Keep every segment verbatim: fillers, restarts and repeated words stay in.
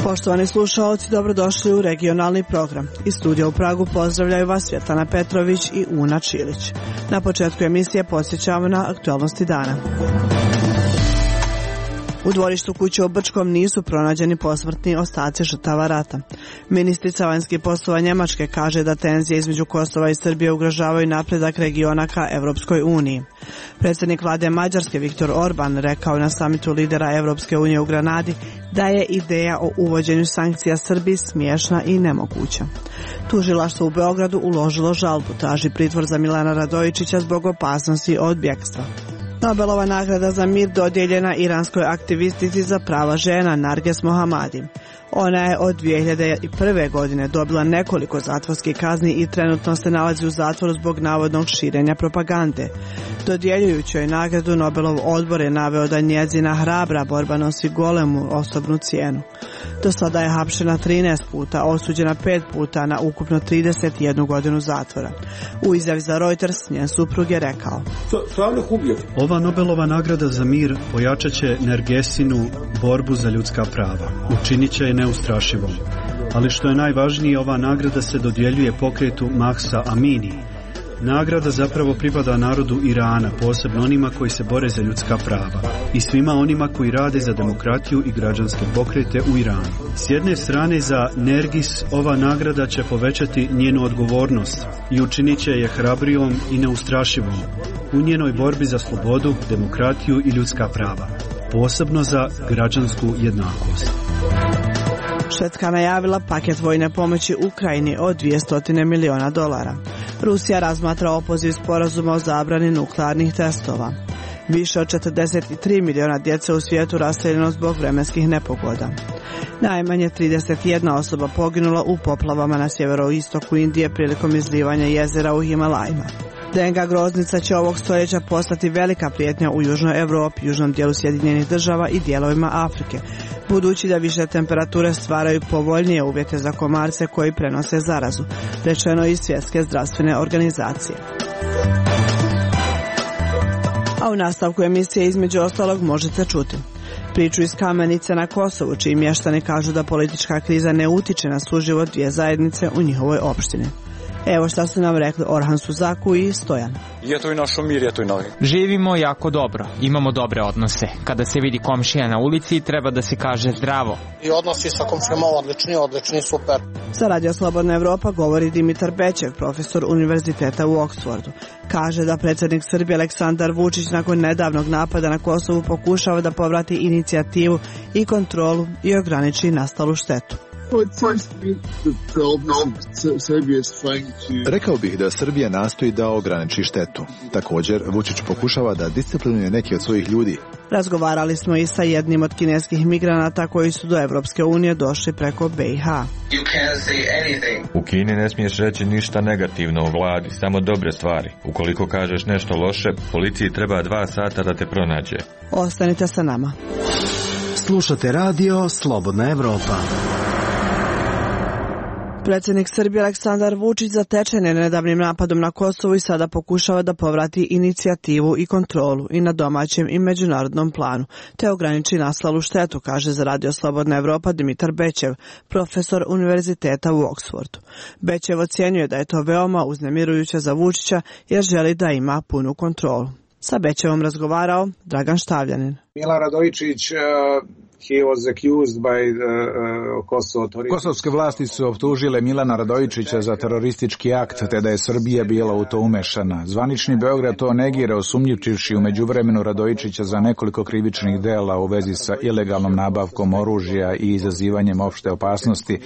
Poštovani slušalci, dobrodošli u regionalni program. Iz studija u Pragu pozdravljaju vas Svjetlana Petrović i Una Čilić. Na početku emisije podsjećamo na aktualnosti dana. U dvorištu kuće u Brčkom nisu pronađeni posmrtni ostaci žrtava rata. Ministrica vanjskih poslova Njemačke kaže da tenzije između Kosova i Srbije ugrožavaju napredak regiona ka Evropskoj uniji. Predsjednik vlade Mađarske Viktor Orban rekao na samitu lidera Evropske unije u Granadi da je ideja o uvođenju sankcija Srbiji smiješna i nemoguća. Tužilaštvo u Beogradu uložilo žalbu, traži pritvor za Milana Radojičića zbog opasnosti od bjegstva. Nobelova nagrada za mir dodijeljena iranskoj aktivistici za prava žena Narges Mohammadi. Ona je od dvije hiljade prve. godine dobila nekoliko zatvorskih kazni i trenutno se nalazi u zatvoru zbog navodnog širenja propagande. Dodjeljujući joj nagradu, Nobelov odbor je naveo da njezina hrabra borba nosi golemu osobnu cijenu. Do sada je hapšena trinaest puta, osuđena pet puta na ukupno trideset jednu godinu zatvora. U izjavi za Reuters njen suprug je rekao: Ova Nobelova nagrada za mir pojačat će Nargesinu borbu za ljudska prava. Učinit će je neustrašivom. Ali što je najvažnije, ova nagrada se dodjeljuje pokretu Mahsa Amini. Nagrada zapravo pripada narodu Irana, posebno onima koji se bore za ljudska prava i svima onima koji rade za demokratiju i građanske pokrete u Iranu. S jedne strane, za Nergis ova nagrada će povećati njenu odgovornost i učinit će je hrabrijom i neustrašivom u njenoj borbi za slobodu, demokratiju i ljudska prava, posebno za građansku jednakost. Švedska najavila paket vojne pomoći Ukrajini od dvjesto miliona dolara. Rusija razmatra opoziv sporazuma o zabrani nuklearnih testova. Više od četrdeset tri miliona djece u svijetu raseljeno zbog vremenskih nepogoda. Najmanje trideset jedna osoba poginula u poplavama na sjeveroistoku Indije prilikom izlivanja jezera u Himalajima. Denga groznica će ovog stoljeća postati velika prijetnja u južnoj Europi, južnom dijelu Sjedinjenih država i dijelovima Afrike, budući da više temperature stvaraju povoljnije uvjete za komarce koji prenose zarazu, rečeno iz Svjetske zdravstvene organizacije. A u nastavku emisije između ostalog možete čuti priču iz Kamenice na Kosovu, čiji mještani kažu da politička kriza ne utiče na suživot dvije zajednice u njihovoj opštini. Evo šta su nam rekli Orhan Suzaku i Stojan. Živimo jako dobro, imamo dobre odnose. Kada se vidi komšija na ulici, treba da se kaže zdravo. I odnosi sa komšijama odlični, odlični, super. Za Radio Slobodna Evropa govori Dimitar Bečev, profesor univerziteta u Oksfordu. Kaže da predsjednik Srbije Aleksandar Vučić nakon nedavnog napada na Kosovu pokušava da povrati inicijativu i kontrolu i ograniči nastalu štetu. Rekao bih da Srbija nastoji da ograniči štetu. Također, Vučić pokušava da disciplinuje neki od svojih ljudi. Razgovarali smo i sa jednim od kineskih migranata koji su do Evropske unije došli preko B i H. U Kini ne smiješ reći ništa negativno o vladi, samo dobre stvari. Ukoliko kažeš nešto loše, policiji treba dva sata da te pronađe. Ostanite sa nama. Slušate radio Slobodna Evropa. Predsjednik Srbije Aleksandar Vučić zatečen je nedavnim napadom na Kosovu i sada pokušava da povrati inicijativu i kontrolu i na domaćem i međunarodnom planu, te ograniči nastalu štetu, kaže za Radio Slobodna Evropa Dimitar Bečev, profesor univerziteta u Oksfordu. Bečev ocjenjuje da je to veoma uznemirujuće za Vučića jer želi da ima punu kontrolu. Sa Bečevom razgovarao Dragan Štavljanin. Milan Radojičić He was accused by the, uh, Kosovo authorities. Kosovske vlasti su optužile Milana Radojičića za teroristički akt, te da je Srbija bila u to umešana. Zvanični Beograd to negira, osumnjivši u međuvremenu Radojičića za nekoliko krivičnih dela u vezi sa ilegalnom nabavkom oružja i izazivanjem opšte opasnosti,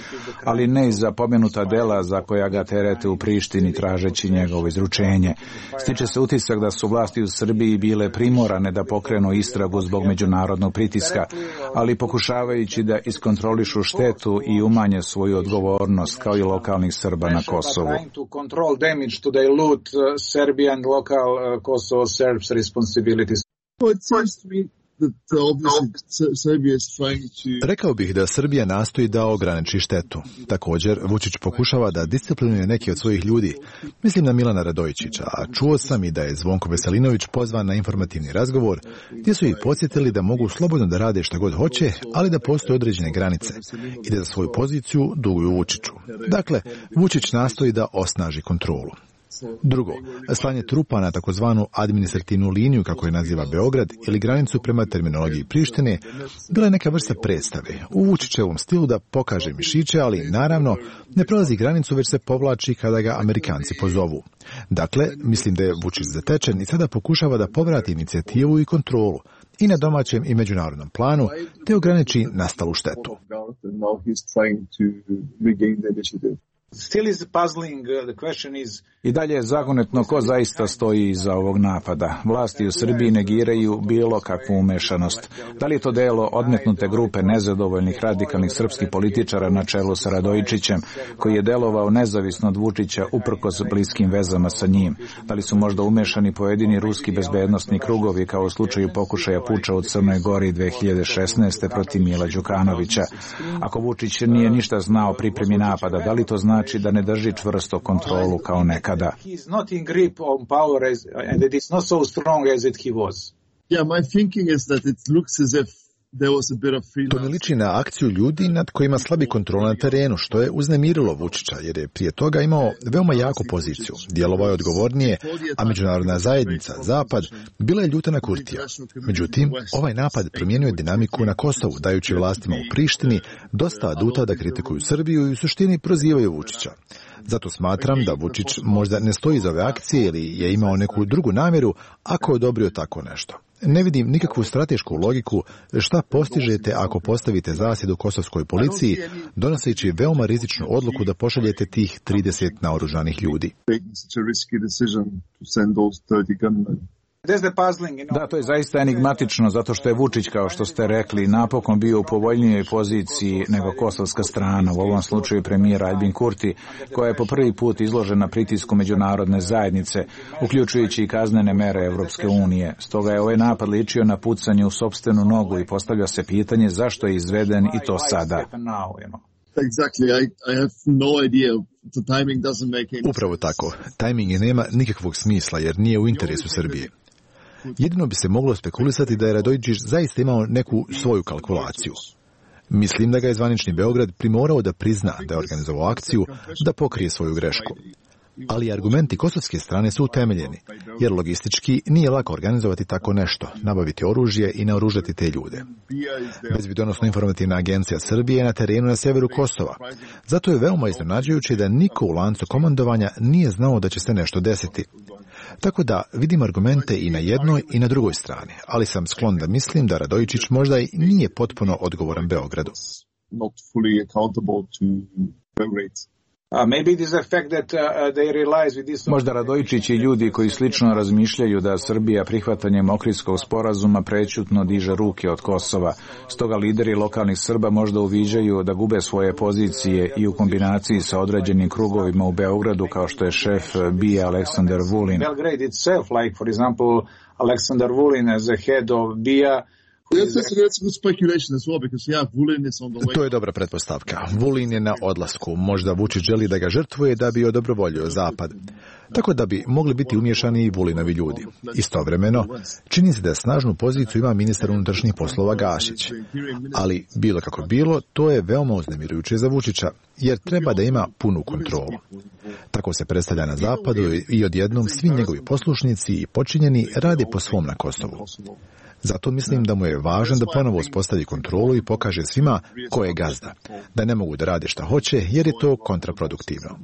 ali ne i za pomenuta dela za koja ga terete u Prištini tražeći njegovo izručenje. Stiče se utisak da su vlasti u Srbiji bile primorane da pokrenu istragu zbog međunarodnog pritiska, ali pokušavajući da iskontrolišu štetu i umanje svoju odgovornost kao i lokalnih Srba na Kosovu. Rekao bih da Srbija nastoji da ograniči štetu. Također, Vučić pokušava da disciplinuje neki od svojih ljudi. Mislim na Milana Radojičića, a čuo sam i da je Zvonko Veselinović pozvan na informativni razgovor, gdje su ih podsjetili da mogu slobodno da rade šta god hoće, ali da postoje određene granice i da za svoju poziciju duguju Vučiću. Dakle, Vučić nastoji da osnaži kontrolu. Drugo, slanje trupa na takozvanu administrativnu liniju, kako je naziva Beograd, ili granicu prema terminologiji Prištine, bila je neka vrsta predstave u Vučićevom stilu da pokaže mišiće, ali naravno ne prolazi granicu, već se povlači kada ga Amerikanci pozovu. Dakle, mislim da je Vučić zatečen i sada pokušava da povrati inicijativu i kontrolu i na domaćem i međunarodnom planu, te ograniči nastalu štetu. I dalje je zagonetno ko zaista stoji iza ovog napada. Vlasti u Srbiji negiraju bilo kakvu umešanost. Da li je to delo odmetnute grupe nezadovoljnih radikalnih srpskih političara na čelu sa Radojičićem, koji je delovao nezavisno od Vučića uprkos bliskim vezama sa njim? Da li su možda umešani pojedini ruski bezbednosni krugovi, kao u slučaju pokušaja puča u Crnoj Gori dve hiljade šesnaeste. protiv Mila Đukanovića? Ako Vučić nije ništa znao o pripremi napada, da li to znači da ne drži čvrsto kontrolu kao nekada? To ne liči na akciju ljudi nad kojima slabi kontrola na terenu, što je uznemirilo Vučića, jer je prije toga imao veoma jaku poziciju. Djelovao je odgovornije, a međunarodna zajednica, Zapad, bila je ljuta na Kurtija. Međutim, ovaj napad promijenio je dinamiku na Kosovu, dajući vlastima u Prištini dosta aduta da kritikuju Srbiju i u suštini prozivaju Vučića. Zato smatram da Vučić možda ne stoji za ove akcije ili je imao neku drugu namjeru ako je odobrio tako nešto. Ne vidim nikakvu stratešku logiku šta postižete ako postavite zasjedu kosovskoj policiji, donoseći veoma rizičnu odluku da pošaljete tih trideset naoružanih ljudi. Da, to je zaista enigmatično, zato što je Vučić, kao što ste rekli, napokon bio u povoljnijoj poziciji nego kosovska strana, u ovom slučaju premijer Aljbin Kurti, koja je po prvi put izložena pritisku međunarodne zajednice, uključujući i kaznene mere Evropske unije. Stoga je ovaj napad ličio na pucanje u sopstvenu nogu i postavlja se pitanje zašto je izveden i to sada. Upravo tako. Tajming nema nikakvog smisla jer nije u interesu Srbije. Jedino bi se moglo spekulisati da je Radojičić zaista imao neku svoju kalkulaciju. Mislim da ga je zvanični Beograd primorao da prizna da je organizovao akciju da pokrije svoju grešku. Ali argumenti kosovske strane su utemeljeni, jer logistički nije lako organizovati tako nešto, nabaviti oružje i naoružati te ljude. Bezbjednosno informativna agencija Srbije je na terenu na severu Kosova. Zato je veoma iznenađujuće da niko u lancu komandovanja nije znao da će se nešto desiti. Tako da vidim argumente i na jednoj i na drugoj strani, ali sam sklon da mislim da Radojičić možda i nije potpuno odgovoran Beogradu. Možda Radojičić i ljudi koji slično razmišljaju da Srbija prihvatanjem Ohridskog sporazuma prećutno diže ruke od Kosova. Stoga lideri lokalnih Srba možda uviđaju da gube svoje pozicije i u kombinaciji sa određenim krugovima u Beogradu, kao što je šef B I A Aleksandar Vulin. Belgrade itself, like for example Aleksandar Vulin as the head of B I A. To je dobra pretpostavka. Vulin je na odlasku. Možda Vučić želi da ga žrtvuje da bi odobrovoljio Zapad. Tako da bi mogli biti umješani i Vulinovi ljudi. Istovremeno, čini se da snažnu poziciju ima ministar unutrašnjih poslova Gašić. Ali, bilo kako bilo, to je veoma uznemirujuće za Vučića, jer treba da ima punu kontrolu. Tako se predstavlja na Zapadu i odjednom svi njegovi poslušnici i počinjeni rade po svom na Kosovu. Zato mislim da mu je važno da ponovo uspostavi kontrolu i pokaže svima ko je gazda, da ne mogu da rade šta hoće jer je to kontraproduktivno.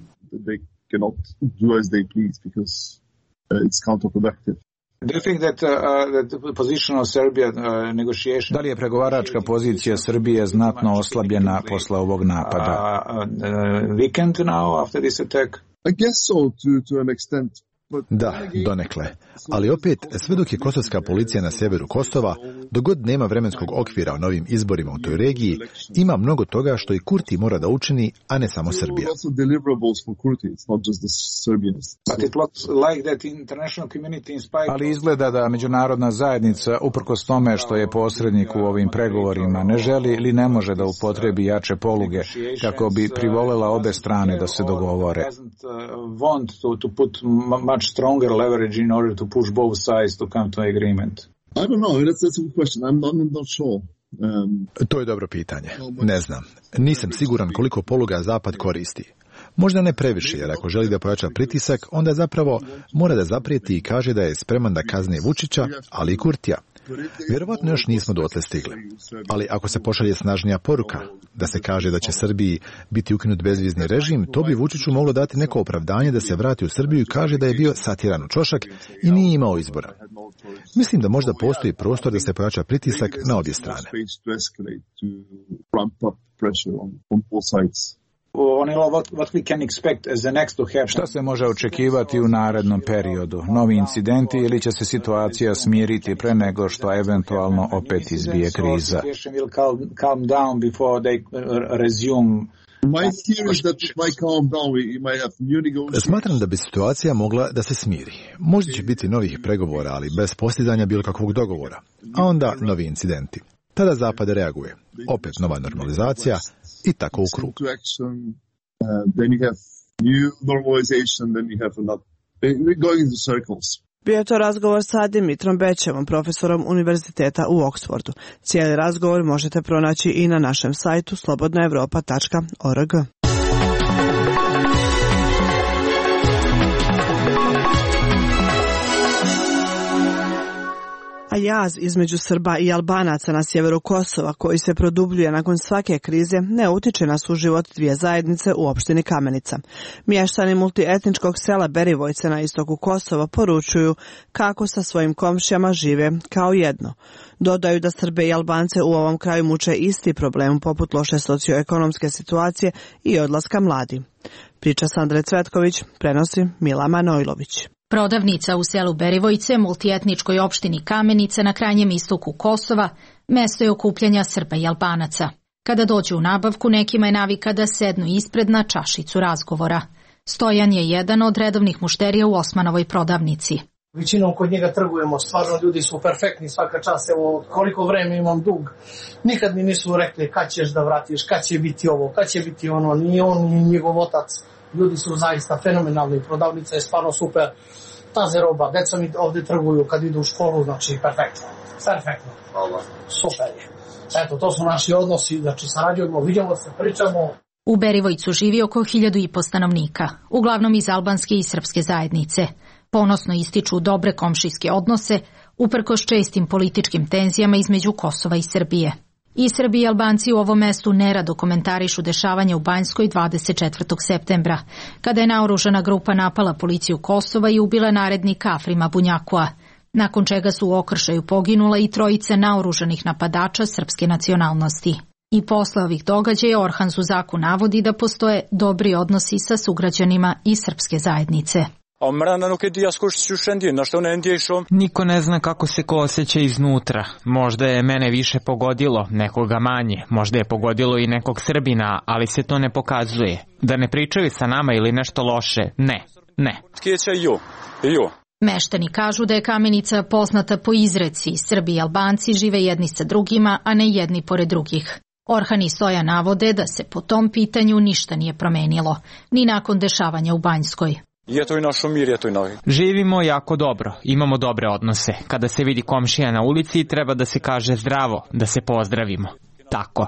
Da li je pregovaračka pozicija Srbije znatno oslabljena posle ovog napada? Da, donekle. Ali opet, sve dok je kosovska policija na sjeveru Kosova, dok god nema vremenskog okvira o novim izborima u toj regiji, ima mnogo toga što i Kurti mora da učini, a ne samo Srbija. Ali izgleda da međunarodna zajednica, uprkos tome što je posrednik u ovim pregovorima, ne želi ili ne može da upotrebi jače poluge kako bi privolila obe strane da se dogovore. Much stronger leverage in order to push both sides to come to agreement. I don't know. That's, that's a good question. I'm, I'm not sure. Um, to je dobro pitanje. Ne znam. Nisam siguran koliko poluga Zapad koristi. Možda ne previše, jer ako želi da pojača pritisak, onda zapravo mora da zaprijeti i kaže da je spreman da kazni Vučića, ali i Kurtija. Vjerovatno još nismo dotle stigli. Ali ako se pošalje snažnija poruka, da se kaže da će Srbiji biti ukinut bezvizni režim, to bi Vučiću moglo dati neko opravdanje da se vrati u Srbiju i kaže da je bio satiran u ćošak i nije imao izbora. Mislim da možda postoji prostor da se pojača pritisak na obje strane. Šta se može očekivati u narednom periodu? Novi incidenti ili će se situacija smiriti pre nego što eventualno opet izbije kriza? Smatram da bi situacija mogla da se smiri. Možda će biti novih pregovora, ali bez postizanja bilo kakvog dogovora. A onda novi incidenti. Tada Zapad reaguje. Opet nova normalizacija i tako u krug. Bio je to razgovor sa Dimitrom Bećevom, profesorom Univerziteta u Oksfordu. Cijeli razgovor možete pronaći i na našem sajtu slobodna evropa tačka org. A jaz između Srba i Albanaca na sjeveru Kosova, koji se produbljuje nakon svake krize, ne utiče na suživot dvije zajednice u opštini Kamenica. Mještani multietničkog sela Berivojce na istoku Kosova poručuju kako sa svojim komšijama žive kao jedno. Dodaju da Srbe i Albance u ovom kraju muče isti problem poput loše socioekonomske situacije i odlaska mladi. Priča Sandre Cvetković, prenosi Mila Manojlović. Prodavnica u selu Berivojce, multietničkoj opštini Kamenica na krajnjem istoku Kosova, mesto je okupljanja Srba i Albanaca. Kada dođu u nabavku, nekima je navika da sednu ispred na čašicu razgovora. Stojan je jedan od redovnih mušterija u Osmanovoj prodavnici. Većinom kod njega trgujemo, stvarno ljudi su perfektni, svaka čast, evo koliko vreme imam dug. Nikad mi nisu rekli kad ćeš da vratiš, kad će biti ovo, kad će biti ono, ni on, ni njegov otac. Ljudi su zaista fenomenalni, prodavnica je stvarno super, taze roba, deca mi ovdje trguju kad idu u školu, znači perfektno, perfektno, super je. Eto, to su naši odnosi, znači sarađujemo, vidimo se, pričamo. U Berivojcu živi oko hiljadu i po stanovnika, uglavnom iz albanske i srpske zajednice. Ponosno ističu dobre komšijske odnose, uprkos čestim političkim tenzijama između Kosova i Srbije. I Srbi i Albanci u ovom mestu nerado komentarišu dešavanja u Banjskoj dvadeset četvrtog septembra, kada je naoružana grupa napala policiju Kosova i ubila narednika Afrima Bunjakua, nakon čega su u okršaju poginula i trojica naoružanih napadača srpske nacionalnosti. I posle ovih događaja Orhan Zuzaku navodi da postoje dobri odnosi sa sugrađanima i srpske zajednice. Niko ne zna kako se ko osjeća iznutra. Možda je mene više pogodilo, nekoga manje. Možda je pogodilo i nekog Srbina, ali se to ne pokazuje. Da ne pričaju sa nama ili nešto loše. Ne, ne. Meštani kažu da je Kamenica poznata po izreci. Srbi i Albanci žive jedni sa drugima, a ne jedni pored drugih. Orhan i Stoja navode da se po tom pitanju ništa nije promenilo, ni nakon dešavanja u Banjskoj. Živimo jako dobro, imamo dobre odnose. Kada se vidi komšija na ulici, treba da se kaže zdravo, da se pozdravimo. Tako.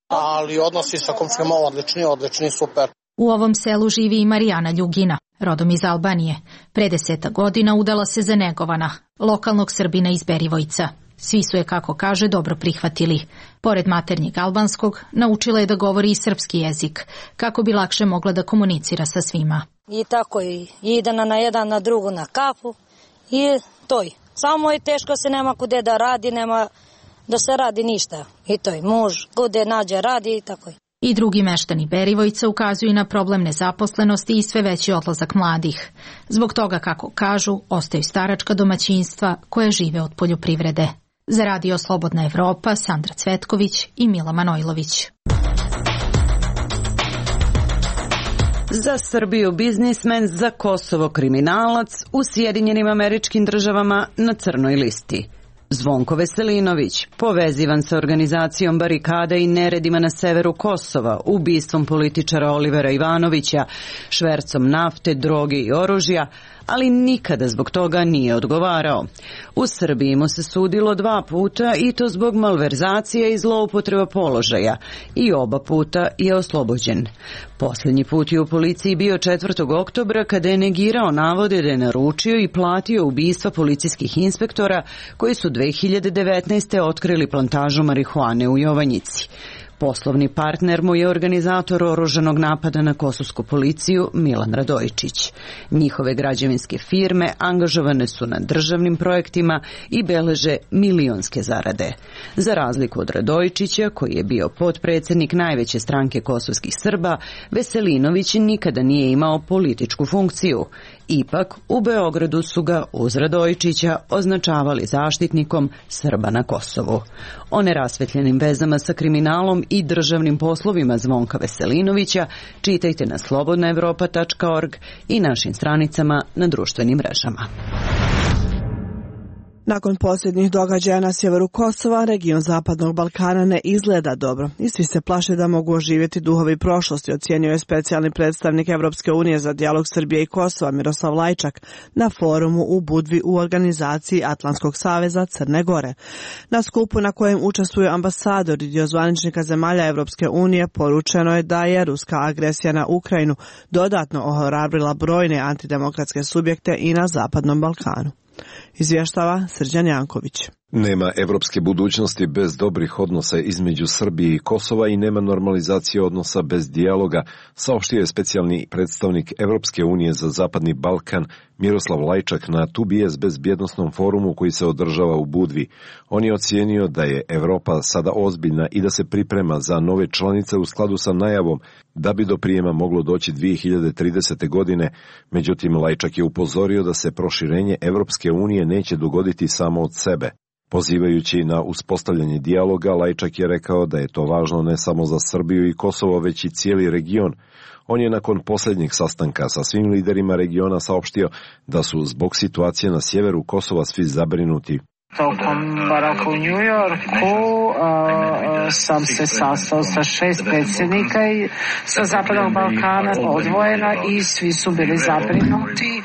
Ali odnosi sa komšijama odlični, odlični, super. U ovom selu živi i Marijana Ljugina, rodom iz Albanije. Pre deseta godina udala se za Negovana, lokalnog Srbina iz Berivojca. Svi su je, kako kaže, dobro prihvatili. Pored maternjeg albanskog, naučila je da govori i srpski jezik, kako bi lakše mogla da komunicira sa svima. I tako i ide na jedan, na drugu, na kafu i to je. Samo je teško, se nema kude da radi, nema da se radi ništa. I to je, muž kude nađe radi i tako je. I drugi meštani Berivojca ukazuju na problem nezaposlenosti i sve veći odlazak mladih. Zbog toga, kako kažu, ostaju staračka domaćinstva koje žive od poljoprivrede. Za Radio Slobodna Evropa, Sandra Cvetković i Mila Manojlović. Za Srbiju biznismen, za Kosovo kriminalac, u Sjedinjenim Američkim Državama na crnoj listi. Zvonko Veselinović, povezivan sa organizacijom barikada i neredima na severu Kosova, ubistvom političara Olivera Ivanovića, švercom nafte, droge i oružja, ali nikada zbog toga nije odgovarao. U Srbiji mu se sudilo dva puta i to zbog malverzacije i zloupotreba položaja i oba puta je oslobođen. Posljednji put je u policiji bio četvrtog oktobra kada je negirao navode da je naručio i platio ubistva policijskih inspektora koji su dve hiljade devetnaeste. otkrili plantažu marihuane u Jovanjici. Poslovni partner mu je organizator oružanog napada na kosovsku policiju Milan Radojičić. Njihove građevinske firme angažovane su na državnim projektima i beleže milionske zarade. Za razliku od Radojičića, koji je bio potpredsjednik najveće stranke kosovskih Srba, Veselinović nikada nije imao političku funkciju. Ipak, u Beogradu su ga uz Radojičića označavali zaštitnikom Srba na Kosovu. O nerasvetljenim vezama sa kriminalom i državnim poslovima Zvonka Veselinovića čitajte na slobodna evropa tačka org i našim stranicama na društvenim mrežama. Nakon posljednjih događaja na sjeveru Kosova, region Zapadnog Balkana ne izgleda dobro i svi se plaše da mogu oživjeti duhovi prošlosti, ocijenio je specijalni predstavnik Evropske unije za dijalog Srbije i Kosova Miroslav Lajčak na forumu u Budvi u organizaciji Atlantskog saveza Crne Gore. Na skupu na kojem učestvuju ambasadori i dio zvaničnika zemalja Evropske unije poručeno je da je ruska agresija na Ukrajinu dodatno ohrabrila brojne antidemokratske subjekte i na Zapadnom Balkanu. Izvještava Srđan Janković. Nema evropske budućnosti bez dobrih odnosa između Srbije i Kosova i nema normalizacije odnosa bez dijaloga, saopštio je specijalni predstavnik Evropske unije za Zapadni Balkan Miroslav Lajčak na Tu bi es bezbjednosnom forumu koji se održava u Budvi. On je ocijenio da je Evropa sada ozbiljna i da se priprema za nove članice u skladu sa najavom da bi do prijema moglo doći dvije hiljade tridesete. godine. Međutim, Lajčak je upozorio da se proširenje Evropske unije neće dogoditi samo od sebe. Pozivajući na uspostavljanje dijaloga, Lajčak je rekao da je to važno ne samo za Srbiju i Kosovo, već i cijeli region. On je nakon posljednjeg sastanka sa svim liderima regiona saopštio da su zbog situacije na sjeveru Kosova svi zabrinuti. Tokom boravka u New Yorku uh, sam se sastao sa šest predsjednika i sa Zapadnog Balkana odvojena i svi su bili zabrinuti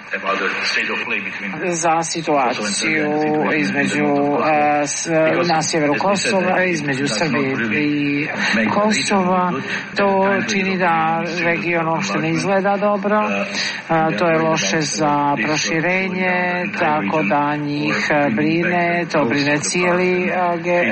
za situaciju između uh, s, na sjeveru Kosova, između Srbije i Kosova. To čini da region uopšte ne izgleda dobro. Uh, to je loše za proširenje, tako da njih brine. To brine cijeli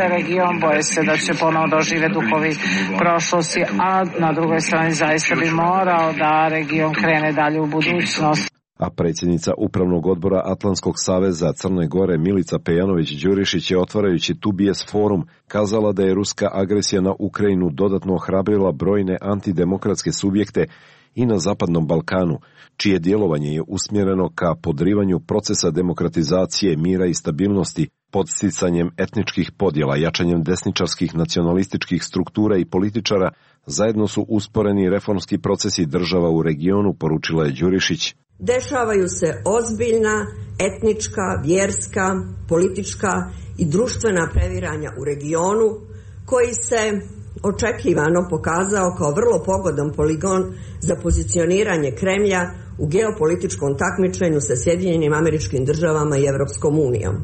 region, boje se da će ponovo dožive duhovi prošlosti, a na drugoj strani zaista bi morao da region krene dalje u budućnost. A predsjednica Upravnog odbora Atlantskog saveza Crne Gore Milica Pejanović-Đurišić je otvarajući Tu bi es forum kazala da je ruska agresija na Ukrajinu dodatno ohrabrila brojne antidemokratske subjekte i na Zapadnom Balkanu, čije djelovanje je usmjereno ka podrivanju procesa demokratizacije, mira i stabilnosti, podsticanjem etničkih podjela, jačanjem desničarskih nacionalističkih struktura i političara, zajedno su usporeni reformski procesi država u regionu, poručila je Đurišić. Dešavaju se ozbiljna etnička, vjerska, politička i društvena previranja u regionu, koji se očekivano pokazao kao vrlo pogodan poligon za pozicioniranje Kremlja u geopolitičkom takmičenju sa Sjedinjenim Američkim Državama i Evropskom unijom.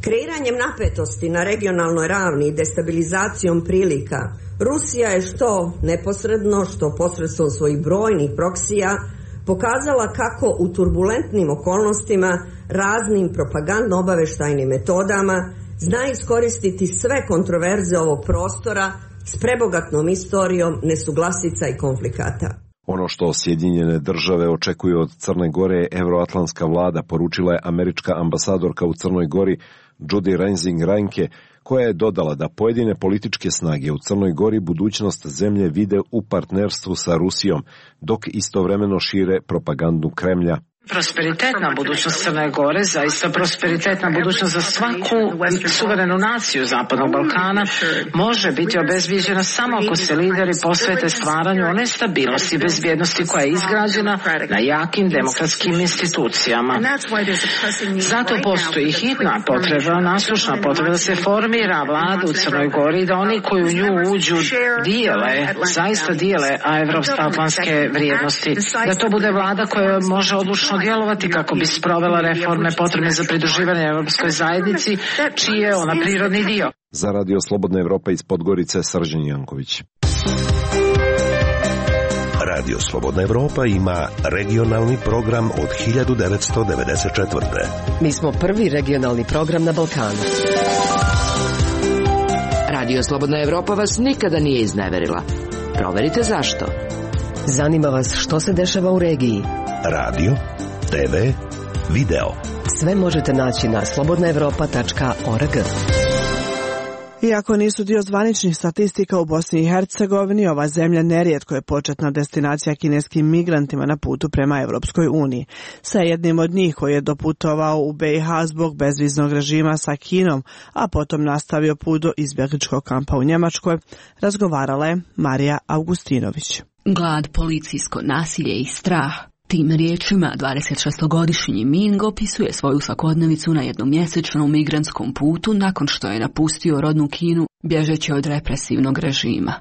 Kreiranjem napetosti na regionalnoj ravni i destabilizacijom prilika, Rusija je što neposredno, što posredstvom svojih brojnih proksija pokazala kako u turbulentnim okolnostima raznim propagandno-obaveštajnim metodama zna iskoristiti sve kontroverze ovog prostora s prebogatnom istorijom nesuglasica i konflikata. Ono što Sjedinjene države očekuju od Crne Gore je evroatlantska vlada, poručila je američka ambasadorka u Crnoj Gori Judy Rensing Reinke, koja je dodala da pojedine političke snage u Crnoj Gori budućnost zemlje vide u partnerstvu sa Rusijom, dok istovremeno šire propagandu Kremlja. Prosperitetna budućnost Crne Gore, zaista prosperitetna budućnost za svaku suverenu naciju Zapadnog Balkana, može biti obezbijeđena samo ako se lideri posvete stvaranju one stabilnosti i bezbjednosti koja je izgrađena na jakim demokratskim institucijama. Zato postoji hitna potreba, naslušna potreba da se formira vlada u Crnoj Gori i da oni koji u nju uđu dijele, zaista dijele evropsko-atlantske vrijednosti. Da to bude vlada koja može odlučno djelovati kako bi sprovela reforme potrebne za pridruživanje Evropskoj zajednici, čiji je ona prirodni dio. Za Radio Slobodna Evropa iz Podgorice, Srđan Janković. Radio Slobodna Evropa ima regionalni program od hiljadu devetsto devedeset četvrte. Mi smo prvi regionalni program na Balkanu. Radio Slobodna Evropa vas nikada nije izneverila. Proverite zašto. Zanima vas što se dešava u regiji. Radio, te ve, video. Sve možete naći na slobodna evropa tačka org. Iako nisu dio zvaničnih statistika u Bosni i Hercegovini, ova zemlja nerijetko je početna destinacija kineskim migrantima na putu prema Evropskoj uniji. Sa jednim od njih koji je doputovao u be i ha zbog bezviznog režima sa Kinom, a potom nastavio put do izbjegličkog kampa u Njemačkoj, razgovarala je Marija Augustinović. Glad, policijsko nasilje i strah. Tim riječima dvadesetšestogodišnji Ming opisuje svoju svakodnevicu na jednomjesečnom migrantskom putu nakon što je napustio rodnu Kinu bježeći od represivnog režima.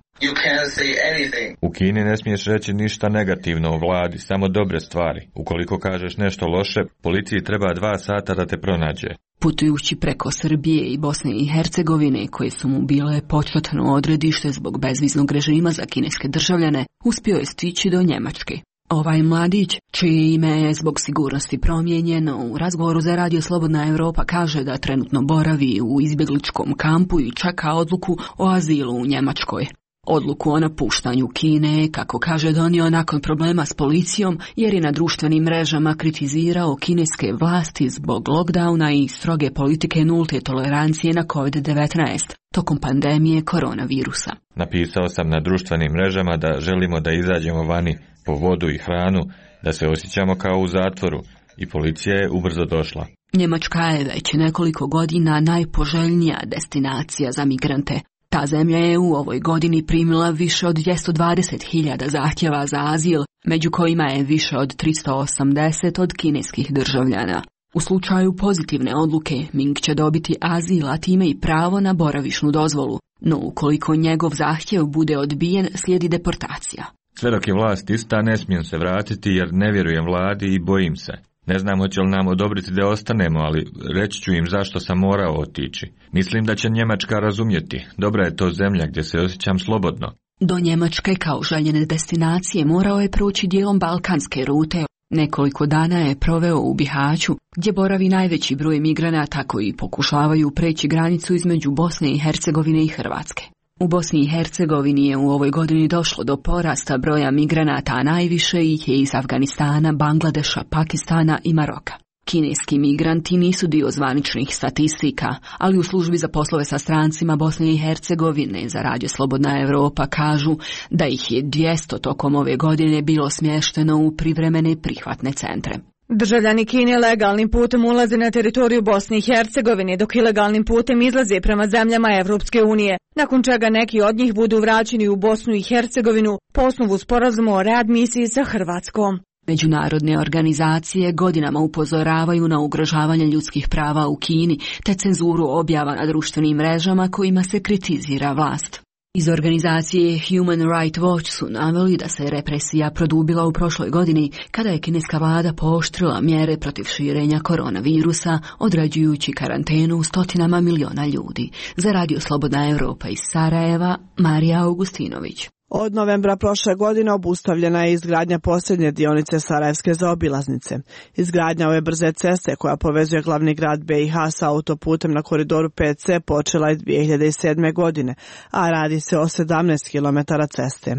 U Kini ne smiješ reći ništa negativno o vladi, samo dobre stvari. Ukoliko kažeš nešto loše, policiji treba dva sata da te pronađe. Putujući preko Srbije i Bosne i Hercegovine, koje su mu bile početno odredište zbog bezviznog režima za kineske državljane, uspio je stići do Njemačke. Ovaj mladić, čije ime je zbog sigurnosti promijenjeno, u razgovoru za Radio Slobodna Evropa kaže da trenutno boravi u izbjegličkom kampu i čeka odluku o azilu u Njemačkoj. Odluku o napuštanju Kine, kako kaže, donio nakon problema s policijom jer je na društvenim mrežama kritizirao kineske vlasti zbog lockdowna i stroge politike nulte tolerancije na kovid devetnaest tokom pandemije koronavirusa. Napisao sam na društvenim mrežama da želimo da izađemo vani po vodu i hranu, da se osjećamo kao u zatvoru i policija je ubrzo došla. Njemačka je već nekoliko godina najpoželjnija destinacija za migrante. Ta zemlja je u ovoj godini primila više od dvjesto dvadeset hiljada zahtjeva za azil, među kojima je više od tristo osamdeset od kineskih državljana. U slučaju pozitivne odluke, Ming će dobiti azil, a time i pravo na boravišnu dozvolu, no ukoliko njegov zahtjev bude odbijen, slijedi deportacija. Sve dok je vlast ista, ne smijem se vratiti jer ne vjerujem vladi i bojim se. Ne znam hoće li nam odobriti da ostanemo, ali reći ću im zašto sam morao otići. Mislim da će Njemačka razumjeti. Dobra je to zemlja gdje se osjećam slobodno. Do Njemačke kao željene destinacije morao je proći dijelom balkanske rute. Nekoliko dana je proveo u Bihaću, gdje boravi najveći broj migranata koji pokušavaju preći granicu između Bosne i Hercegovine i Hrvatske. U Bosni i Hercegovini je u ovoj godini došlo do porasta broja migranata, a najviše ih je iz Afganistana, Bangladeša, Pakistana i Maroka. Kineski migranti nisu dio zvaničnih statistika, ali u službi za poslove sa strancima Bosne i Hercegovine za Radio Slobodna Evropa kažu da ih je dvjesto tokom ove godine bilo smješteno u privremene prihvatne centre. Državljani Kine legalnim putem ulaze na teritoriju Bosne i Hercegovine, dok ilegalnim putem izlaze prema zemljama Evropske unije, nakon čega neki od njih budu vraćeni u Bosnu i Hercegovinu po osnovu sporazuma o readmisiji sa Hrvatskom. Međunarodne organizacije godinama upozoravaju na ugrožavanje ljudskih prava u Kini te cenzuru objava na društvenim mrežama kojima se kritizira vlast. Iz organizacije Human Rights Watch su naveli da se represija produbila u prošloj godini kada je kineska vlada pooštrila mjere protiv širenja koronavirusa, određujući karantenu stotinama miliona ljudi. Za Radio Slobodna Evropa iz Sarajeva, Marija Augustinović. Od novembra prošle godine obustavljena je izgradnja posljednje dionice Sarajevske zaobilaznice. Izgradnja ove brze ceste koja povezuje glavni grad B i H sa autoputem na koridoru pet ce počela je dvije hiljade sedme. godine, a radi se o sedamnaest kilometara ceste.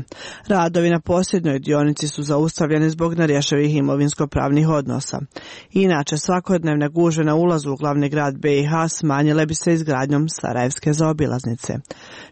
Radovi na posljednjoj dionici su zaustavljeni zbog nerješivih imovinsko-pravnih odnosa. Inače, svakodnevne gužve na ulazu u glavni grad B i H smanjile bi se izgradnjom Sarajevske zaobilaznice.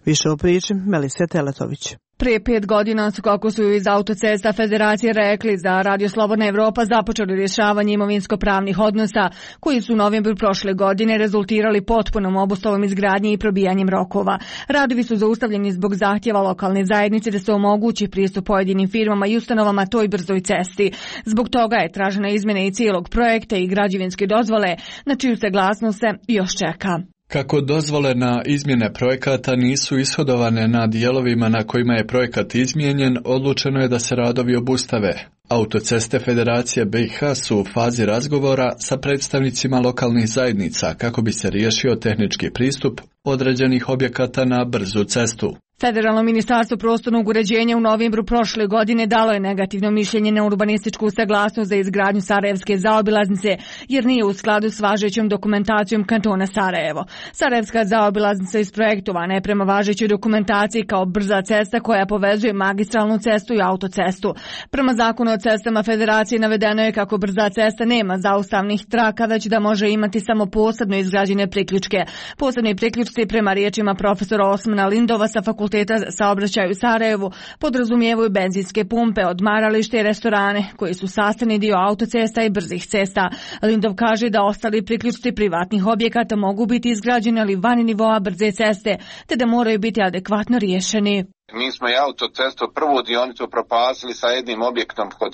Više u priči Melise Teletović. Prije pet godina su, kako su iz Autocesta Federacije rekli, za Radio Slobodna Evropa započeli rješavanje imovinsko-pravnih odnosa koji su u novembru prošle godine rezultirali potpunom obustavom izgradnje i probijanjem rokova. Radovi su zaustavljeni zbog zahtjeva lokalne zajednice da se omogući pristup pojedinim firmama i ustanovama toj brzoj cesti. Zbog toga je tražena izmjena i cijelog projekta i građevinske dozvole, na čiju saglasnost se još čeka. Kako dozvole na izmjene projekata nisu ishodovane na dijelovima na kojima je projekat izmijenjen, odlučeno je da se radovi obustave. Autoceste Federacije B i H su u fazi razgovora sa predstavnicima lokalnih zajednica kako bi se riješio tehnički pristup određenih objekata na brzu cestu. Federalno ministarstvo prostornog uređenja u novembru prošle godine dalo je negativno mišljenje na urbanističku saglasnost za izgradnju Sarajevske zaobilaznice, jer nije u skladu s važećom dokumentacijom kantona Sarajevo. Sarajevska zaobilaznica isprojektovana je prema važećoj dokumentaciji kao brza cesta koja povezuje magistralnu cestu i autocestu. Prema zakonu o cestama Federacije navedeno je kako brza cesta nema zaustavnih traka, već da može imati samo posebno izgrađene priključke. Posebni priključci, prema riječima profesora Osmana Lindova sa fakulteta saobraćaja u Sarajevu, podrazumijevaju benzinske pumpe, odmaralište i restorane koji su sastavni dio autocesta i brzih cesta. Lindov kaže da ostali priključci privatnih objekata mogu biti izgrađeni ali van nivoa brze ceste, te da moraju biti adekvatno riješeni. Mi smo i autocestu prvu dionicu propasili sa jednim objektom kod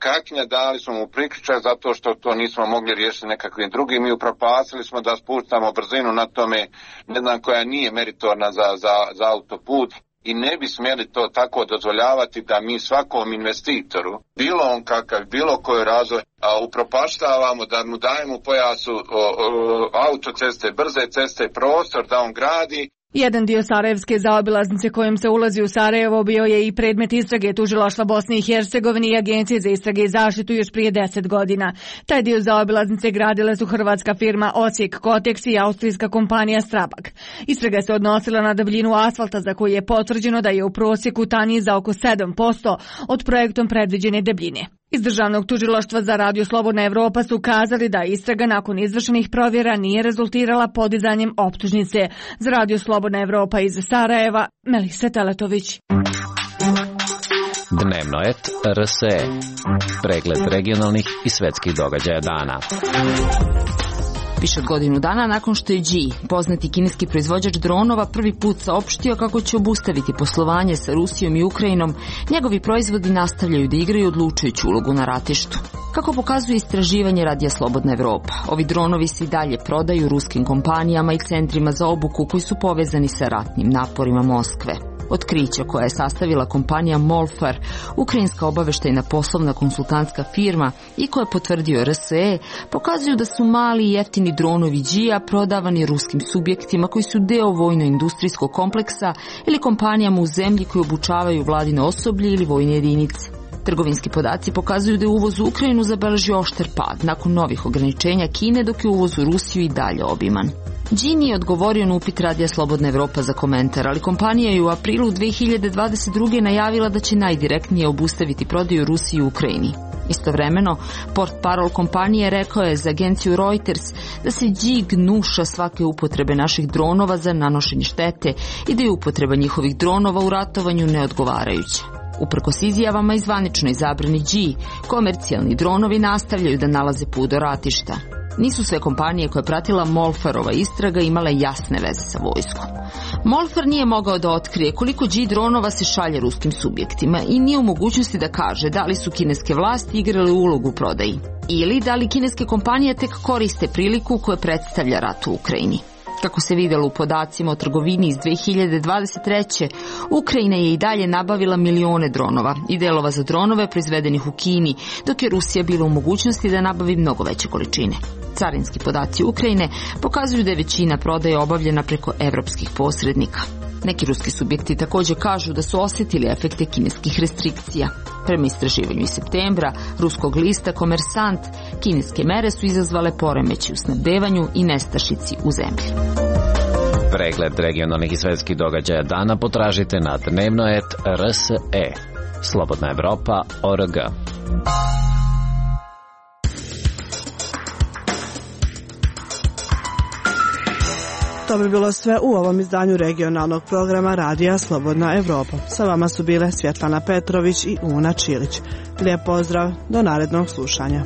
Kakinja, dali smo mu priključak zato što to nismo mogli riješiti nekakvim drugim i upropasili smo da spuštamo brzinu na tome, ne znam, koja nije meritorna za, za, za autoput. I ne bi smjeli to tako dozvoljavati da mi svakom investitoru, bilo on kakav, bilo koji razvoj, a upropaštavamo, da mu dajemo pojasu o, o, autoceste, brze ceste, prostor da on gradi. Jedan dio Sarajevske zaobilaznice kojim se ulazi u Sarajevo bio je i predmet istrage tužilaštva Bosne i Hercegovine i Agencije za istrage i zaštitu još prije deset godina. Taj dio zaobilaznice gradile su hrvatska firma Osijek Koteks i austrijska kompanija Strabag. Istraga se odnosila na debljinu asfalta za koju je potvrđeno da je u prosjeku tanji za oko sedam posto od projektom predviđene debljine. Iz Državnog tužilaštva za Radio Slobodna Evropa su kazali da istraga nakon izvršenih provjera nije rezultirala podizanjem optužnice. Za Radio Slobodna Evropa iz Sarajeva, Melisa Teletović. Dnevno et R S E. Pregled regionalnih i svetskih događaja dana. Više od godinu dana nakon što je G, poznati kineski proizvođač dronova, prvi put saopštio kako će obustaviti poslovanje sa Rusijom i Ukrajinom, njegovi proizvodi nastavljaju da igraju odlučujuću ulogu na ratištu. Kako pokazuje istraživanje Radija Slobodna Evropa, ovi dronovi se i dalje prodaju ruskim kompanijama i centrima za obuku koji su povezani sa ratnim naporima Moskve. Otkrića koja je sastavila kompanija Molfar, ukrajinska obaveštajna poslovna konsultantska firma, i koja je potvrdio R S E, pokazuju da su mali i jeftini dronovi G-a prodavani ruskim subjektima koji su deo vojno-industrijskog kompleksa ili kompanijama u zemlji koji obučavaju vladino osoblje ili vojne jedinice. Trgovinski podaci pokazuju da je uvoz u Ukrajinu zabeležio oštar pad nakon novih ograničenja Kine, dok je uvoz u Rusiju i dalje obiman. G nije odgovorio na upit Radija Slobodna Evropa za komentar, ali kompanija je u aprilu dve hiljade dvadeset druge. najavila da će najdirektnije obustaviti prodaju Rusiji i Ukrajini. Istovremeno, portparol kompanije rekao je za agenciju Reuters da se G gnuša svake upotrebe naših dronova za nanošenje štete i da je upotreba njihovih dronova u ratovanju neodgovarajuća. Uprkos izjavama i zvaničnoj zabrani G, komercijalni dronovi nastavljaju da nalaze put do ratišta. Nisu sve kompanije koje je pratila Molfarova istraga imale jasne veze sa vojskom. Molfar nije mogao da otkrije koliko G dronova se šalje ruskim subjektima i nije u mogućnosti da kaže da li su kineske vlasti igrale ulogu u prodaji ili da li kineske kompanije tek koriste priliku koja predstavlja rat u Ukrajini. Kako se vidjelo u podacima o trgovini iz dve hiljade dvadeset treće. Ukrajina je i dalje nabavila milione dronova i delova za dronove proizvedenih u Kini, dok je Rusija bila u mogućnosti da nabavi mnogo veće količine. Carinski podaci Ukrajine pokazuju da je većina prodaje obavljena preko evropskih posrednika. Neki ruski subjekti također kažu da su osjetili efekte kineskih restrikcija. Prema istraživanju iz septembra ruskog lista Komersant, kineske mere su izazvale poremeći u snabdevanju i nestašici u zemlji. Pregled regionalnih i svetskih događaja dana potražite na dnevno et er es e. Slobodna Evropa точка орг. To bi bilo sve u ovom izdanju regionalnog programa Radija Slobodna Evropa. Sa vama su bile Svjetlana Petrović i Una Čilić. Lijep pozdrav, do narednog slušanja.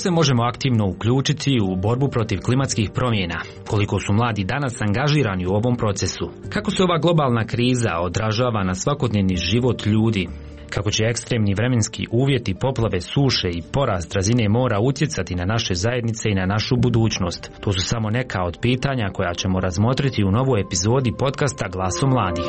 se možemo aktivno uključiti u borbu protiv klimatskih promjena? Koliko su mladi danas angažirani u ovom procesu? Kako se ova globalna kriza odražava na svakodnevni život ljudi? Kako će ekstremni vremenski uvjeti, poplave, suše i porast razine mora utjecati na naše zajednice i na našu budućnost? To su samo neka od pitanja koja ćemo razmotriti u novoj epizodi podcasta Glasom mladih.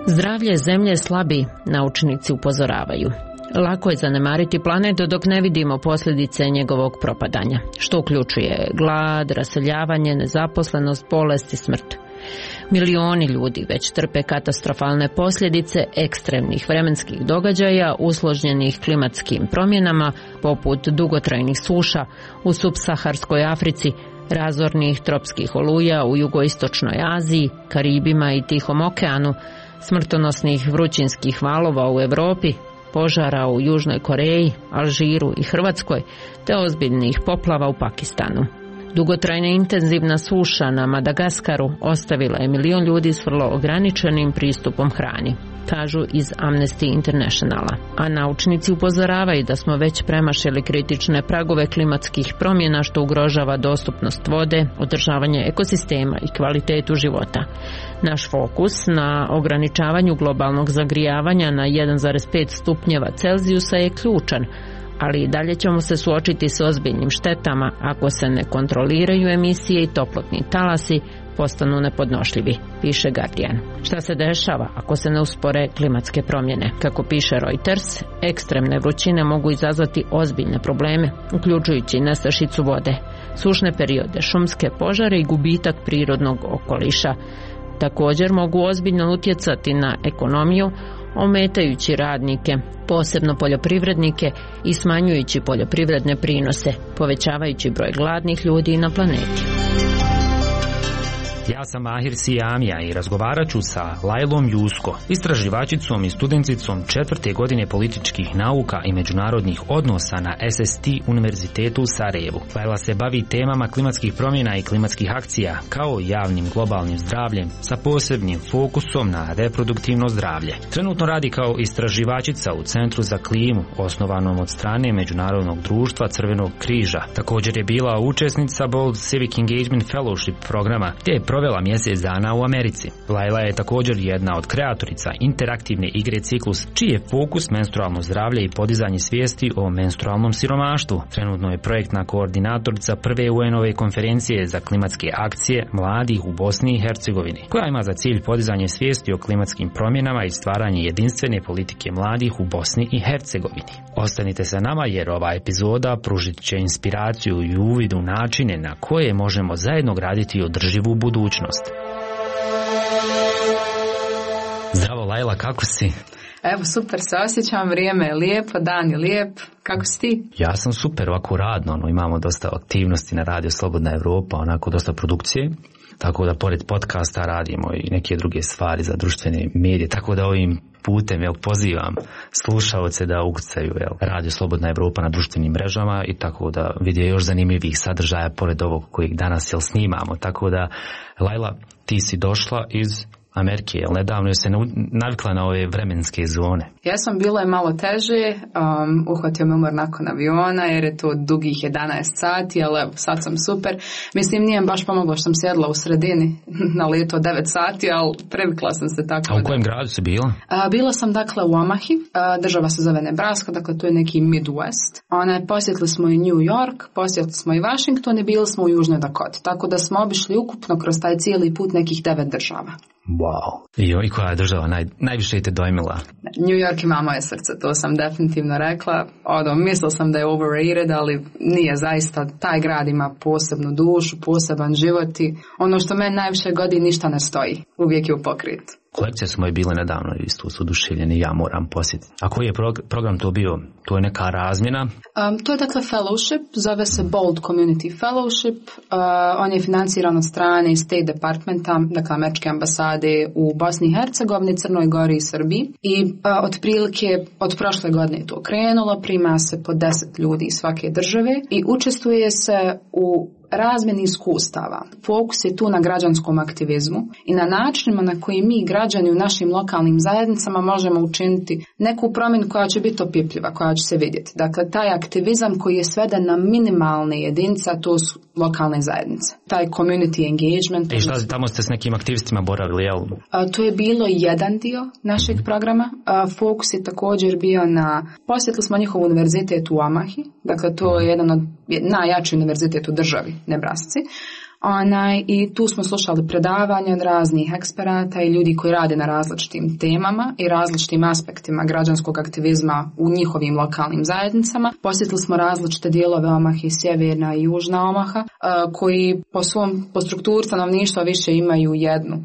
Zdravlje zemlje slabi, naučnici upozoravaju. Lako je zanemariti planet dok ne vidimo posljedice njegovog propadanja, što uključuje glad, raseljavanje, nezaposlenost, bolest i smrt. Milioni ljudi već trpe katastrofalne posljedice ekstremnih vremenskih događaja usloženih klimatskim promjenama poput dugotrajnih suša u subsaharskoj Africi, razornih tropskih oluja u jugoistočnoj Aziji, Karibima i Tihom okeanu, smrtonosnih vrućinskih valova u Europi, požara u Južnoj Koreji, Alžiru i Hrvatskoj, te ozbiljnih poplava u Pakistanu. Dugotrajna intenzivna suša na Madagaskaru ostavila je milion ljudi s vrlo ograničenim pristupom hrani, kažu iz Amnesty Internationala. A naučnici upozoravaju da smo već premašili kritične pragove klimatskih promjena što ugrožava dostupnost vode, održavanje ekosistema i kvalitetu života. Naš fokus na ograničavanju globalnog zagrijavanja na jedan zarez pet stupnjeva Celzijusa je ključan, ali i dalje ćemo se suočiti s ozbiljnim štetama ako se ne kontroliraju emisije i toplotni talasi postanu nepodnošljivi, piše Guardian. Šta se dešava ako se ne uspore klimatske promjene? Kako piše Reuters, ekstremne vrućine mogu izazvati ozbiljne probleme, uključujući nestašicu vode, sušne periode, šumske požare i gubitak prirodnog okoliša. Također mogu ozbiljno utjecati na ekonomiju, ometajući radnike, posebno poljoprivrednike, i smanjujući poljoprivredne prinose, povećavajući broj gladnih ljudi na planeti. Ja sam Mahir Sijamija i razgovarat ću sa Lajlom Jusko, istraživačicom i studenticom četvrte godine političkih nauka i međunarodnih odnosa na es es te univerzitetu u Sarajevu. Lajla se bavi temama klimatskih promjena i klimatskih akcija, kao i javnim globalnim zdravljem, sa posebnim fokusom na reproduktivno zdravlje. Trenutno radi kao istraživačica u Centru za klimu, osnovanom od strane Međunarodnog društva Crvenog križa. Također je bila učesnica Bold Civic Engagement Fellowship programa, gdje je provela mjesec dana u Americi. Lajla je također jedna od kreatorica interaktivne igre Ciklus, čiji je fokus menstrualno zdravlje i podizanje svijesti o menstrualnom siromaštvu. Trenutno je projektna koordinatorica prve u en ove konferencije za klimatske akcije mladih u Bosni i Hercegovini, koja ima za cilj podizanje svijesti o klimatskim promjenama i stvaranje jedinstvene politike mladih u Bosni i Hercegovini. Ostanite sa nama jer ova epizoda pružit će inspiraciju i uvid u načine na koje možemo zajedno graditi održivu budućnost. Zdravo Lajla, kako si? Evo, super se osjećam, vrijeme je lijepo, dan je lijep. Kako si ti? Ja sam super, ovako radno, ono, imamo dosta aktivnosti na Radio Slobodna Evropa, onako dosta produkcije. Tako da pored podcasta radimo i neke druge stvari za društvene medije, tako da ovim putem jel, pozivam slušaoce da ukucaju jel, Radio Slobodna Evropa na društvenim mrežama i tako da vide još zanimljivih sadržaja pored ovog kojeg danas jel, snimamo. Tako da, Lajla, ti si došla iz Amerike, jel nedavno je se navikla na ove vremenske zone? Jesam, bilo je malo teže, um, uhvatio me umor nakon aviona jer je to dugih jedanaest sati, ali evo, sad sam super. Mislim, nije mi baš pomoglo što sam sjedla u sredini na leto devet sati, ali previkla sam se tako. A u kojem gradu si bila? Uh, bila sam dakle u Omahi, uh, država se zove Nebraska, dakle to je neki Midwest. Ona, posjetili smo i New York, posjetili smo i Washington i bili smo u Južnoj Dakoti, tako da smo obišli ukupno kroz taj cijeli put nekih devet država. Wow. I, i koja je država naj, najviše te dojmila? New York ima moje srce, to sam definitivno rekla. Ono, mislila sam da je overrated, ali nije zaista. Taj grad ima posebnu dušu, poseban život i ono što meni najviše godi ništa ne stoji. Uvijek je u pokretu. Kolekcije su moje bile nedavno isto su oduševljeni, ja moram posjetiti. A koji je prog- program to bio? To je neka razmjena? Um, to je dakle fellowship, zove se Bold Community Fellowship. Uh, on je financiran od strane State Departmenta, dakle američke ambasade u Bosni i Hercegovini, Crnoj Gori i Srbiji. I uh, otprilike od prošle godine je to krenulo, prima se po deset ljudi iz svake države i učestvuje se u razmjeni iskustava. Fokus je tu na građanskom aktivizmu i na načinima na koji mi građani u našim lokalnim zajednicama možemo učiniti neku promjenu koja će biti opipljiva, koja će se vidjeti. Dakle, taj aktivizam koji je sveden na minimalne jedinice, a to su lokalne zajednice. Taj community engagement. I šta, tamo ste s nekim aktivistima boravili, jel? A, to je bilo jedan dio našeg programa. A, fokus je također bio na, posjetili smo njihov univerzitet u Omahi, dakle to je jedan od najjači univerzitet u državi, Nebrasci. Onaj, i tu smo slušali predavanja od raznih eksperata i ljudi koji rade na različitim temama i različitim aspektima građanskog aktivizma u njihovim lokalnim zajednicama. Posjetili smo različite dijelove Omahe, sjeverna i južna Omaha, koji po svom, po strukturi stanovništva više imaju jednu.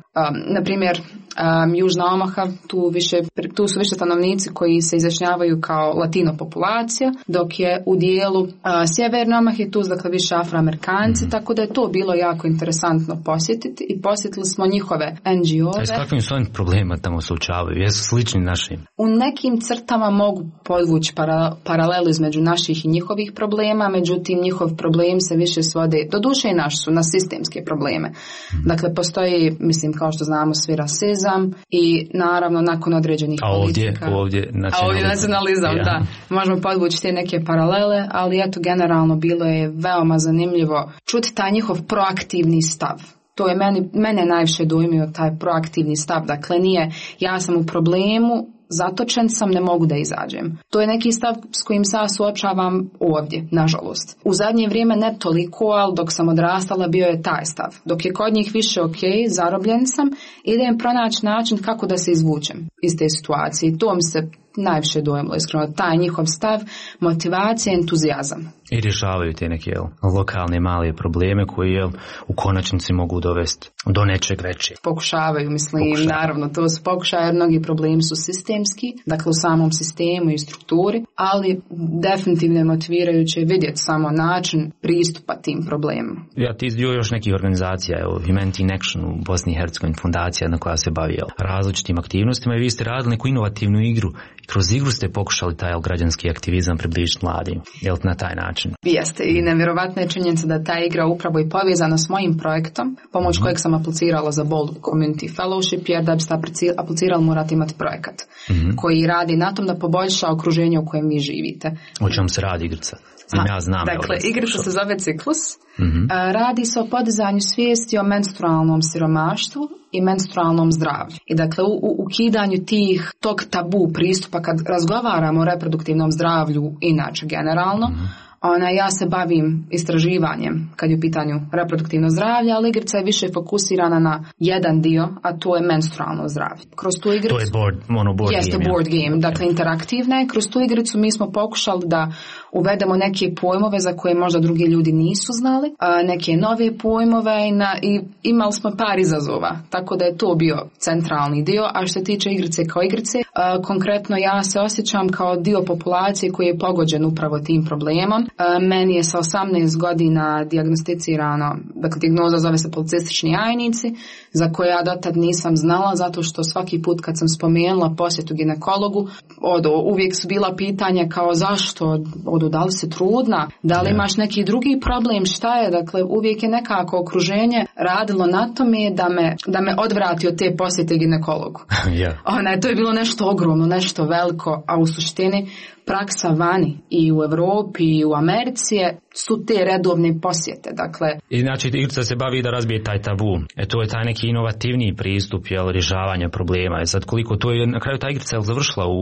Na primjer, Um, Južna Omaha, tu, više, tu su više stanovnici koji se izjašnjavaju kao latino populacija, dok je u dijelu uh, Sjeverne Omahe tu dakle više Afroamerikanci, mm. tako da je to bilo jako interesantno posjetiti i posjetili smo njihove en dži o-ve. A s kakvim su oni problema tamo suočavaju? Jesu slični našim? U nekim crtama mogu podvući para, paralelu između naših i njihovih problema, međutim njihov problem se više svode, doduše i naš su, na sistemske probleme. Mm. Dakle, postoji, mislim, kao što znamo, svi rasizam i naravno nakon određenih a ovdje, politika. Ovdje nacionalizam. A ovdje nacionalizam, ja. Da. Možemo podvući te neke paralele, ali eto generalno bilo je veoma zanimljivo čuti taj njihov proaktivni stav. To je meni, mene najviše dojmio taj proaktivni stav. Dakle, nije ja sam u problemu, zatočen sam, ne mogu da izađem. To je neki stav s kojim se ja suočavam ovdje, nažalost. U zadnje vrijeme ne toliko, ali dok sam odrastala bio je taj stav. Dok je kod njih više ok, zarobljen sam, idem pronaći način kako da se izvučem iz te situacije. To mi se najviše dojmilo, iskreno, taj njihov stav, motivacija, entuzijazam. I rješavaju te neke jel, lokalne male probleme koji jel, u konačnici mogu dovesti do nečeg većeg. Pokušavaju, mislim, Pokušavaju. Naravno, to su pokušaje, jer mnogi problemi su sistemski, dakle u samom sistemu i strukturi, ali definitivno je motivirajuće vidjeti samo način pristupa tim problemima. Ja ti izdio još nekih organizacija, evo, Humanity in Action u Bosni i Hercegovini, fundacija na koja se bavi jel, različitim aktivnostima i vi ste radili neku inovativnu igru. Kroz igru ste pokušali taj jel, građanski aktivizam približiti mladim, jel na taj način? Jeste, i nevjerovatna je činjenica da ta igra upravo i povezana s mojim projektom, pomoć mm-hmm. kojeg sam aplicirala za Bold Community Fellowship, jer da biste aplicirali morate imati projekat mm-hmm. koji radi na tom da poboljša okruženje u kojem vi živite. O čemu se radi igrica? Znam, ja znam. Dakle, igrica se zove Ciklus. Mm-hmm. Radi se o podizanju svijesti o menstrualnom siromaštvu i menstrualnom zdravlju. I dakle, u, u ukidanju tih, tog tabu pristupa kad razgovaramo o reproduktivnom zdravlju, inače generalno, mm-hmm. Ona, ja se bavim istraživanjem kad je u pitanju reproduktivno zdravlje, ali igrica je više fokusirana na jedan dio, a to je menstrualno zdravlje. Kroz tu igricu... To je board, mono board jeste game. Jeste board game, dakle interaktivna je. Kroz tu igricu mi smo pokušali da uvedemo neke pojmove za koje možda drugi ljudi nisu znali, a neke nove pojmove i, na, i imali smo par izazova, tako da je to bio centralni dio, a što se tiče igrice kao igrice, a, konkretno ja se osjećam kao dio populacije koji je pogođen upravo tim problemom. Meni je sa osamnaest godina dijagnosticirano, dakle dijagnoza zove se policistični jajnici, za koje ja dotad nisam znala, zato što svaki put kad sam spomenula posjetu ginekologu, odo, uvijek su bila pitanja kao zašto, odo, da li si trudna, da li imaš neki drugi problem, šta je, dakle uvijek je nekako okruženje radilo na tome da me, da me odvrati od te posjete ginekologu. Yeah. Ona, to je bilo nešto ogromno, nešto veliko, a u suštini praksa vani i u Europi i u Americi su te redovne posjete. Dakle, I znači igrica se bavi da razbije taj tabu. E to je taj neki inovativniji pristup, jel, rješavanja problema. E sad koliko to je na kraju ta igrica je završila u,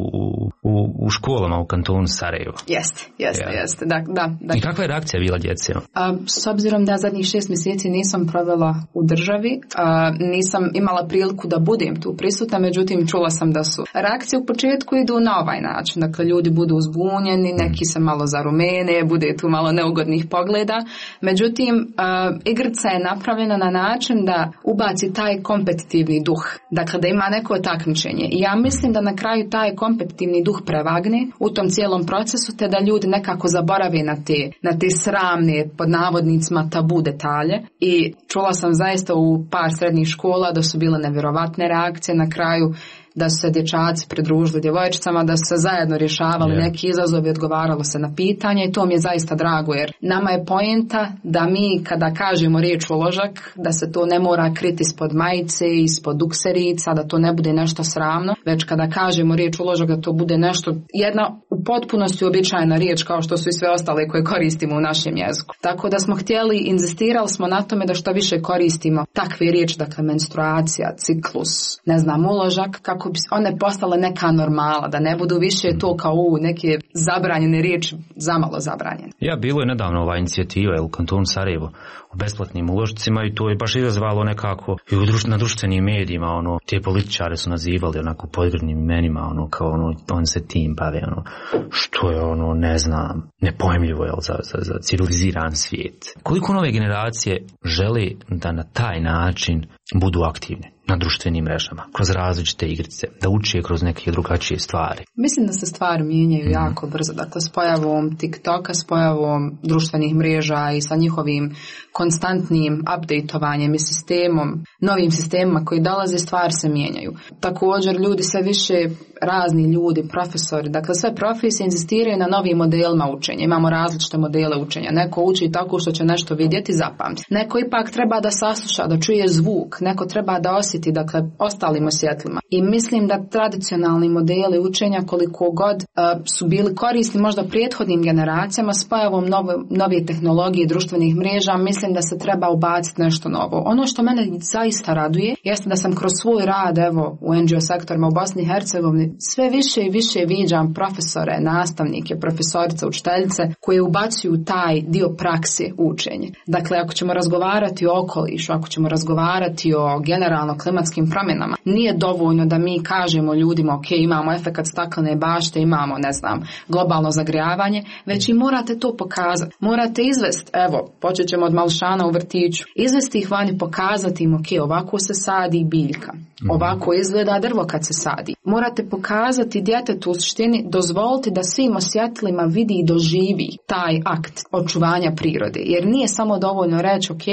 u, u školama u kantonu Sarajevo. Jeste, jeste, ja. jeste. Da, da, da. I kakva je reakcija bila djece? A, s obzirom da zadnjih šest mjeseci nisam provela u državi, a, nisam imala priliku da budem tu prisutna, međutim čula sam da su reakcije u početku idu na ovaj način. Dakle, ljudi budu uzbunjeni, neki se malo zarumene, bude tu malo neugodnih pogleda. Međutim, uh, igrica je napravljena na način da ubaci taj kompetitivni duh. Dakle, da ima neko takmičenje. I ja mislim da na kraju taj kompetitivni duh prevagne u tom cijelom procesu, te da ljudi nekako zaborave na te, na te sramne, pod navodnicima, tabu detalje. I čula sam zaista u par srednjih škola da su bile nevjerovatne reakcije na kraju, da su se dječaci pridružili djevojčicama, da su se zajedno rješavali yeah. neki izazovi, odgovaralo se na pitanje i to mi je zaista drago, jer nama je poenta da mi kada kažemo riječ uložak, da se to ne mora kriti ispod majice, ispod dukserica, da to ne bude nešto sramno, već kada kažemo riječ uložak da to bude nešto, jedna u potpunosti uobičajena riječ kao što su i sve ostale koje koristimo u našem jeziku. Tako da smo htjeli, inzistirali smo na tome da što više koristimo takve riječi, dakle menstruacija, ciklus, ne znam, uložak, kako bi one postale neka normala, da ne budu više to kao u neke zabranjene riječi, zamalo zabranjene. Ja, bilo je nedavno ova inicijativa u kantonu Sarajevo o besplatnim uložcima i to je baš izazvalo nekako i u društv, na društvenim medijima, ono, te političare su nazivali onako podgrdnim imenima, ono, kao ono, on se tim bave, ono, što je ono, ne znam, nepojmljivo je za, za, za civiliziran svijet. Koliko nove generacije žele da na taj način budu aktivne na društvenim mrežama, kroz različite igrice, da uče kroz neke drugačije stvari? Mislim da se stvari mijenjaju mm. jako brzo. Dakle, s pojavom TikToka, s pojavom društvenih mreža i sa njihovim konstantnim updateovanjem i sistemom, novim sistemima koji dolaze, stvari se mijenjaju. Također, ljudi sve više, razni ljudi, profesori, dakle sve profesije inzistiraju na novim modelima učenja. Imamo različite modele učenja. Neko uči tako što će nešto vidjeti, zapamti. Neko ipak treba da sasluša, da čuje zvuk. Neko treba da osjeti, dakle, ostalim osjetlima. I mislim da tradicionalni modeli učenja, koliko god uh, su bili korisni možda prethodnim generacijama, s pojavom nove, nove tehnologije društvenih mreža, mislim da se treba ubaciti nešto novo. Ono što mene zaista raduje jeste da sam kroz svoj rad, evo, u en dži o sektorima u Bosni i Hercegovini, sve više i više viđam profesore, nastavnike, profesorice, učiteljice koje ubacuju taj dio prakse učenje. Dakle, ako ćemo razgovarati o okolišu, ako ćemo razgovarati o generalno klimatskim promjenama, nije dovoljno da mi kažemo ljudima, ok, imamo efekat staklene bašte, imamo, ne znam, globalno zagrijavanje, već i morate to pokazati. Morate izvesti, evo, počet ćemo od malšana u vrtiću, izvesti ih vani, pokazati im, ok, ovako se sadi biljka, ovako izgleda drvo kad se sadi. Morate pokazati djetetu u suštini, dozvoliti da svim osjetlima vidi i doživi taj akt očuvanja prirode. Jer nije samo dovoljno reći, ok,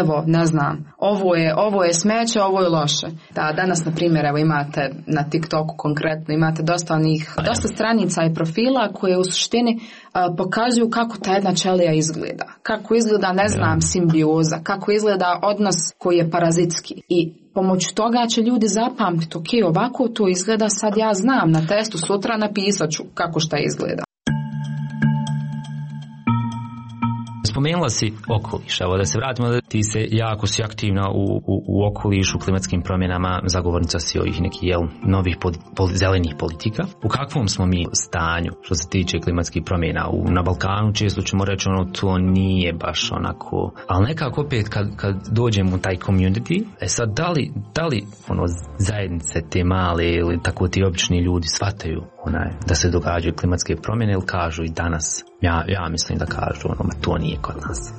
evo, ne znam, ovo je, ovo je smeće, ovo je loše. Da, danas, na primjer, evo imate na TikToku konkretno, imate dosta onih, dosta stranica i profila koje u suštini uh, pokazuju kako ta jedna ćelija izgleda. Kako izgleda, ne znam, simbioza, kako izgleda odnos koji je parazitski. I pomoću toga će ljudi zapamtiti, ok, ovako to izgleda, sad ja znam, na testu sutra napisat ću kako šta izgleda. Spomenula si okoliš, evo da se vratimo, da ti se jako si aktivna u, u, u okolišu, klimatskim promjenama, zagovornica si ovih nekih jel, novih poli, poli, zelenih politika. U kakvom smo mi stanju što se tiče klimatskih promjena? U, na Balkanu često ćemo reći ono, to nije baš onako, ali nekako opet kad, kad dođemo u taj community, e sad da li, da li ono, zajednice te male ili tako ti obični ljudi shvataju onaj, da se događaju klimatske promjene ili kažu i danas? Ja, ja mislim da kažu, ono, to nije kod nas.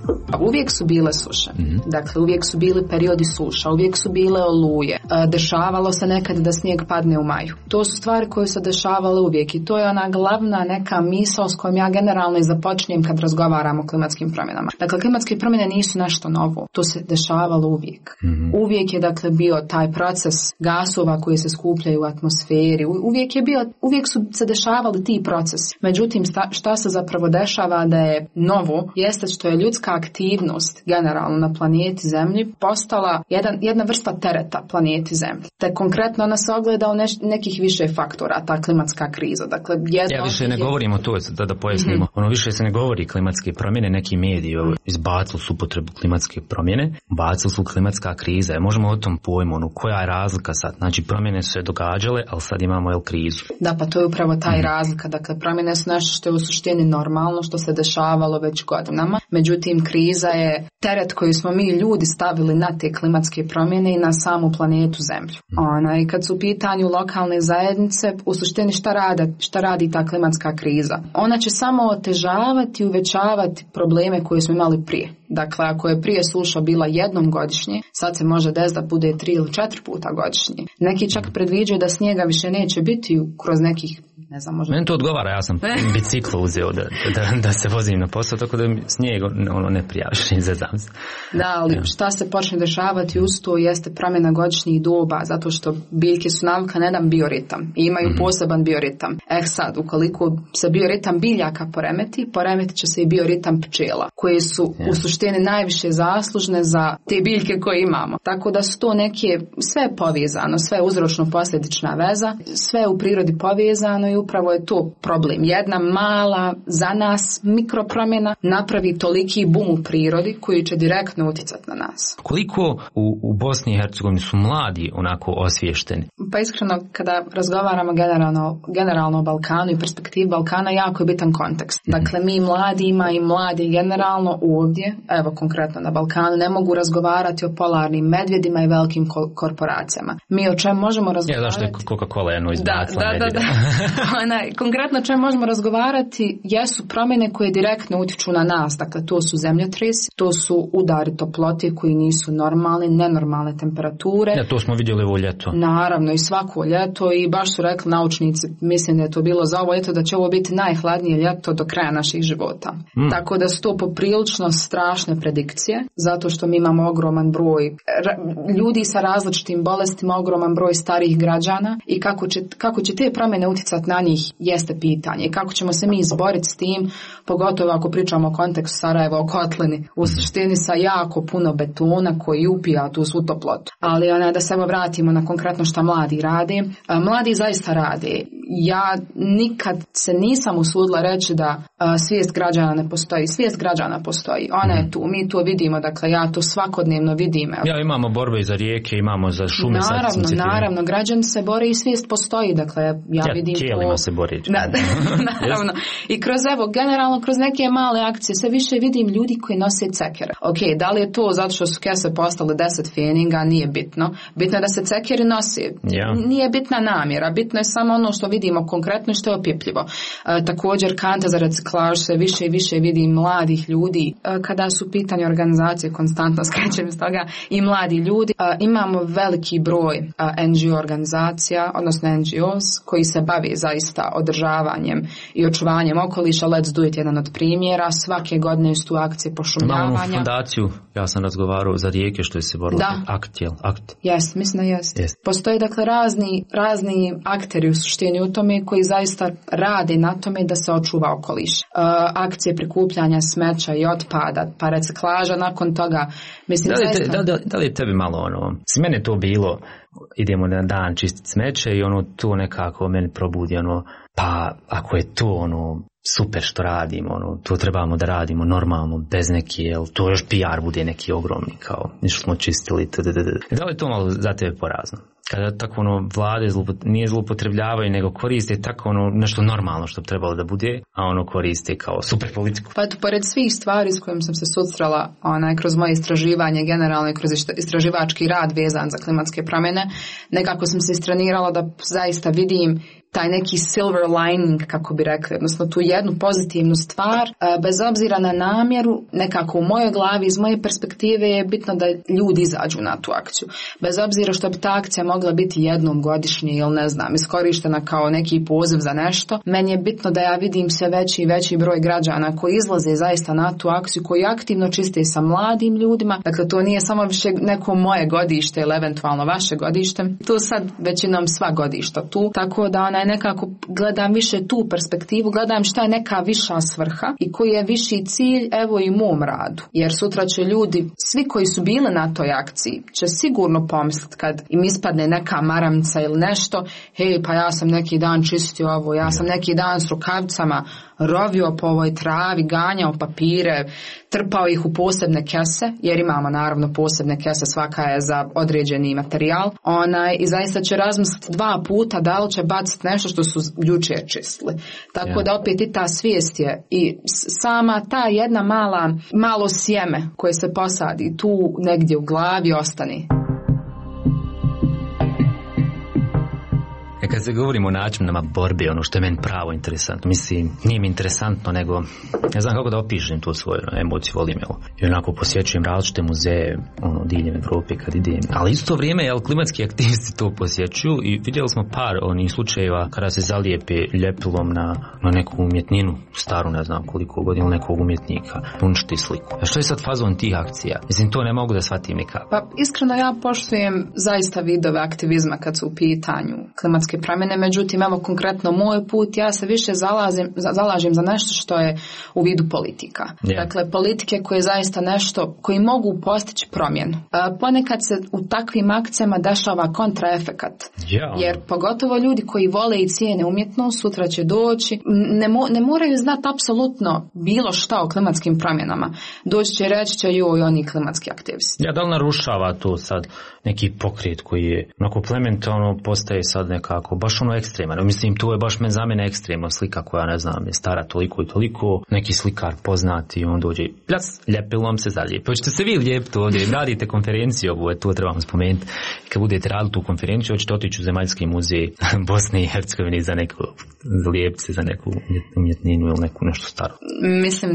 Uvijek su bile suše. Mm-hmm. Dakle, uvijek su bili periodi suša, uvijek su bile oluje. Dešavalo se nekad da snijeg padne u maju. To su stvari koje se dešavale uvijek i to je ona glavna neka misao s kojom ja generalno i započinjem kad razgovaram o klimatskim promjenama. Dakle, klimatske promjene nisu nešto novo. To se dešavalo uvijek. Mm-hmm. Uvijek je, dakle, bio taj proces gasova koji se skupljaju u atmosferi. Uvijek je bio, uvijek su se dešavali ti procesi. Međutim, sta, šta se zapravo dešava da je novo, jeste što je ljudska aktivnost generalno na planeti Zemlji postala jedan, jedna vrsta tereta planeti Zemlji. Te konkretno ona se ogleda u neš, nekih više faktora, ta klimatska kriza. Dakle, ja više ne je... govorimo to, da, da pojasnimo. Mm-hmm. Ono više se ne govori klimatske promjene, neki mediji izbacili su upotrebu klimatske promjene, bacili su klimatska kriza. Možemo o tom pojmu, ono, koja je razlika sad? Znači, promjene su se događale, ali sad imamo jel krizu. Da, pa to je upravo taj mm-hmm. razlika. Dakle, promjene su nešto što je u suštini normalno, što se dešavalo već godinama. Međutim, kriza je teret koji smo mi ljudi stavili na te klimatske promjene i na samu planetu Zemlju. Ona, i kad su u pitanju lokalne zajednice, u suštini šta radi, šta radi ta klimatska kriza? Ona će samo otežavati i uvećavati probleme koje smo imali prije. Dakle, ako je prije suša bila jednom godišnje, sad se može desiti da bude tri ili četiri puta godišnje. Neki čak predviđaju da snijega više neće biti kroz nekih, ne znam, možda... Meni to odgovara, ja sam biciklo uzeo da, da, da se vozim na posao, tako da snijeg ono ne prijaviš, ne zezam se. Da, ali šta se počne dešavati uz to jeste promjena godišnjih doba, zato što biljke su navikle na jedan bioritam i imaju mm-hmm. poseban bioritam. Eh sad, ukoliko se bioritam biljaka poremeti, poremetit će se i bioritam pčela, koje su yeah. u suštini najviše zaslužne za te biljke koje imamo. Tako da su to neke, sve je povezano, sve je uzročno-posljedična veza, sve je u prirodi povezano i upravo je to problem. Jedna mala, za nas, mikropromjena napravi toliki bum u prirodi koji će direktno utjecati na nas. Koliko u, u Bosni i Hercegovini su mladi onako osviješteni? Pa iskreno, kada razgovaramo generalno, generalno o Balkanu i perspektivi Balkana, jako je bitan kontekst. Dakle, mi mladima i mladi generalno ovdje, evo konkretno na Balkanu, ne mogu razgovarati o polarnim medvjedima i velikim ko- korporacijama. Mi o čem možemo razgovarati? Ja, zašto je Coca-Cola jedno izbacila da, da, da, da. Ona, konkretno o čem možemo razgovarati jesu promjene koje direktno utječu na nas. Dakle, to su zemljotresi, to su udari toplote koji nisu normalni, nenormalne temperature. Ja, to smo vidjeli ovo ljeto. Naravno, i svako ljeto i baš su rekli naučnici, mislim da je to bilo za ovo ljeto, da će ovo biti najhladnije ljeto do kraja naših života. Mm. Tako da su to poprilično strašne predikcije, zato što mi imamo ogroman broj ra- ljudi sa različitim bolestima, ogroman broj starijih građana i kako će, kako će te promjene utjecati na njih jeste pitanje. I kako ćemo se mi izboriti s tim, pogotovo ako pričamo o kontekstu Sarajeva, o kotlini, u suštini sa jako puno betona koji upija tu svu toplotu. Ali ona, da se vratimo na konkretno šta mladi rade. Mladi zaista rade. Ja nikad se nisam usudila reći da a, svijest građana ne postoji. Svijest građana postoji. Ona je tu. Mi to vidimo. Dakle, ja to svakodnevno vidim. Ja, imamo borbe za rijeke, imamo za šume. Naravno, naravno. Građani se bore i svijest postoji. Dakle, ja, ja vidim tijelima to... se bori. Da, da, naravno. I kroz, evo, generalno kroz neke male akcije sve više vidim ljudi koji nose cekere. Ok, da li je to zato što su kese postale deset feninga? Nije bitno. Bitno je da se cekeri nose. Yeah. Nije bitna namjera. Bitno je samo ono što vidimo konkretno i što je opipljivo. E, također kanta za reciklažu se više i više vidi mladih ljudi. E, kada su pitanje organizacije, konstantno skrećem iz toga, i mladi ljudi. E, imamo veliki broj e, en ge o organizacija, odnosno en ge os, koji se bavi zaista održavanjem i očuvanjem okoliša. Let's do it, jedan od primjera. Svake godine su tu akcije pošumljavanja. Imamo fondaciju, ja sam razgovarao za rijeke što je se borilo. Akt, jel? Akt. Jes, mislim da jest. Yes. Postoje dakle razni, razni akteri u suštini u tome koji zaista rade na tome da se očuva okoliš. Uh, akcije prikupljanja smeća i otpada, pa reciklaža nakon toga. Mislim, da, li te, zaista... da, da, da li je tebi malo ono, s mene to bilo, idemo na dan čistiti smeće i ono to nekako meni probudi ono, pa ako je to ono super što radimo, ono, to trebamo da radimo normalno, bez neki, jel, to još P R bude neki ogromni, kao, nešto smo čistili, tdd. Da li je to malo za tebe porazno? Kada tako ono vlade zlupot, nije zloupotrebljavaju, nego koriste tako ono nešto normalno što bi trebalo da bude, a ono koriste kao super politiku. Pa to pored svih stvari s kojim sam se susrela onaj, kroz moje istraživanje, generalno i kroz istraživački rad vezan za klimatske promjene, nekako sam se istrenirala da zaista vidim taj neki silver lining, kako bi rekli, odnosno tu jednu pozitivnu stvar, bez obzira na namjeru, nekako u mojoj glavi, iz moje perspektive je bitno da ljudi izađu na tu akciju. Bez obzira što bi ta akcija mogla biti jednom godišnje ili ne znam, iskorištena kao neki poziv za nešto, meni je bitno da ja vidim sve veći i veći broj građana koji izlaze zaista na tu akciju, koji aktivno čiste sa mladim ljudima. Dakle, to nije samo više neko moje godište ili eventualno vaše godište. Tu sad većinom sva godišta tu, tako da onaj nekako gledam više tu perspektivu, gledam šta je neka viša svrha i koji je viši cilj, evo i mom radu. Jer sutra će ljudi, svi koji su bili na toj akciji, će sigurno pomisliti kad im ispadne neka maramca ili nešto, hej, pa ja sam neki dan čistio ovo, ja sam neki dan s rukavicama rovio po ovoj travi, ganjao papire, trpao ih u posebne kese, jer imamo naravno posebne kese, svaka je za određeni materijal. Onaj, i zaista će razmisliti dva puta da li će baciti nešto što su jučer čistili. Tako yeah. da opet i ta svijest je i sama ta jedna mala, malo sjeme koje se posadi tu negdje u glavi ostane. E kad se govorimo o načinama borbe, ono što je meni pravo interesantno, mislim, nije mi interesantno, nego ne znam kako da opišem tu svoju emociju, volim je. I onako posjećujem različite muzeje, ono, diljem Evrope kad idem. Ali isto vrijeme, jel, klimatski aktivisti to posjećuju i vidjeli smo par onih slučajeva kada se zalijepe ljepilom na, na neku umjetninu, staru ne znam koliko godina, nekog umjetnika, uništi sliku. A što je sad fazon tih akcija? Mislim, to ne mogu da shvatim nikako. Pa iskreno ja poštujem zaista vidove aktivizma kad su u pitanju klimatske promjene, međutim, evo konkretno moj put, ja se više zalazim, zalažem za nešto što je u vidu politika. Yeah. Dakle, politike koje je zaista nešto, koji mogu postići promjenu. E, ponekad se u takvim akcijama dešava kontraefekat. Yeah. Jer pogotovo ljudi koji vole i cijene umjetnost, sutra će doći, ne, mo, ne moraju znati apsolutno bilo šta o klimatskim promjenama. Doći će reći će joj oni klimatski aktivisti. Ja, da li narušava to sad neki pokret koji je onako plementalno postaje sad nekako baš ono ekstreman. Mislim, to je baš men za mene ekstremna slika koja, ne znam, je stara toliko i toliko. Neki slikar poznati i on dođe plas, ljepilom se zalijepi. Hoćete se vi lijepiti ovdje, radite konferenciju ovu, to trebamo spomenuti. Kad budete radili tu konferenciju, hoćete otići u Zemaljski muzej Bosne i Hercegovine za neku lijepce, za neku umjetninu ili neku nešto staro. Mislim,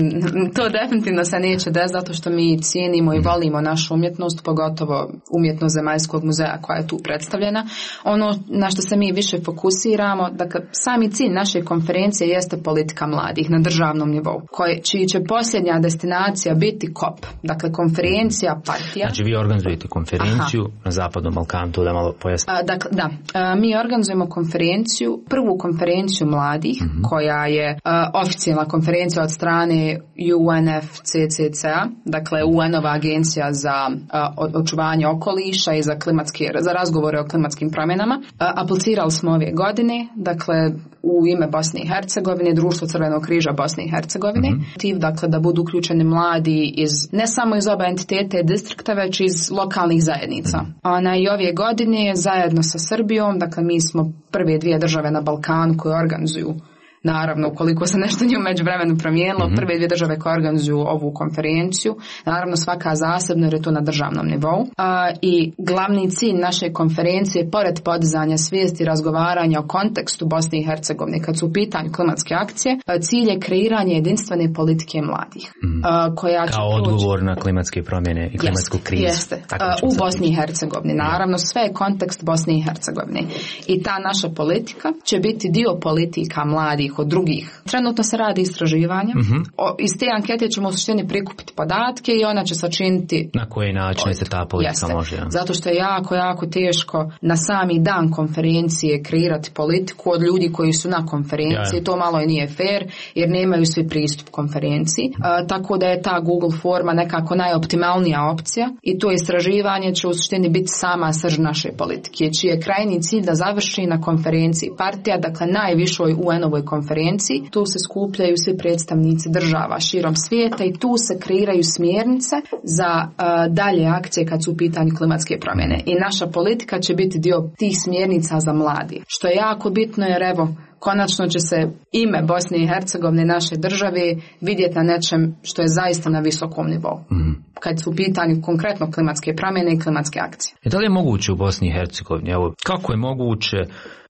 to definitivno se neće desiti zato što mi cijenimo i volimo našu umjetnost, pogotovo umjetnost Zemaljskog muzeja koja je tu predstavljena. Ono na što se mi više fokusiramo, dakle, sami cilj naše konferencije jeste politika mladih na državnom nivou, koje, čiji će posljednja destinacija biti kop, dakle konferencija partija. Znači vi organizujete konferenciju Aha. na Zapadnom Balkanu, to da malo pojasnim. Dakle, da, a, mi organizujemo konferenciju, prvu konferenciju mladih, mm-hmm. koja je a, oficijalna konferencija od strane U N F C C C a, dakle U N-ova agencija za a, očuvanje okoliša i za klimatske, za razgovore o klimatskim promjenama. A, aplicirali smo ove godine, dakle u ime Bosne i Hercegovine, Društvo Crvenog križa Bosne i Hercegovine, mm-hmm. dakle da budu uključeni mladi iz, ne samo iz oba entitete i distrikta, već iz lokalnih zajednica. Mm-hmm. Ona i ove godine zajedno sa Srbijom, dakle mi smo prve dvije države na Balkanu koje organizuju, naravno, ukoliko se nešto nije u međuvremenu promijenilo, mm-hmm. prve dvije države koje organizuju ovu konferenciju, naravno svaka zasebno jer je to na državnom nivou. A, I glavni cilj naše konferencije, pored podizanja svijesti i razgovaranja o kontekstu Bosne i Hercegovine, kad su u pitanju klimatske akcije, cilj je kreiranje jedinstvene politike mladih. Mm-hmm. A, koja će kao odgovor na klimatske promjene i klimatsku jest, krizu. Jeste, a, u Bosni i Hercegovini. Naravno, sve je kontekst Bosne i Hercegovine. I ta naša politika će biti dio politika mladih od drugih. Trenutno se radi istraživanje. Mm-hmm. O, iz te ankete ćemo u suštini prikupiti podatke i ona će sačiniti na koji način se ta politika Jeste. može. Ja. Zato što je jako, jako teško na sami dan konferencije kreirati politiku od ljudi koji su na konferenciji. Ja. To malo i nije fair jer nemaju svi pristup konferenciji. A, tako da je ta Google forma nekako najoptimalnija opcija i to istraživanje će u suštini biti sama srž naše politike, čiji je krajnji cilj da završi na konferenciji partija, dakle najvišoj U N-ovoj konferenciji. Tu se skupljaju svi predstavnici država širom svijeta i tu se kreiraju smjernice za uh, dalje akcije kad su u pitanju klimatske promjene. I naša politika će biti dio tih smjernica za mladi. Što je jako bitno jer evo, konačno će se ime Bosne i Hercegovine, naše države, vidjeti na nečem što je zaista na visokom nivou. Mm. Kad su u pitanju konkretno klimatske promjene i klimatske akcije. E da li je moguće u Bosni i Hercegovini? Evo, kako je moguće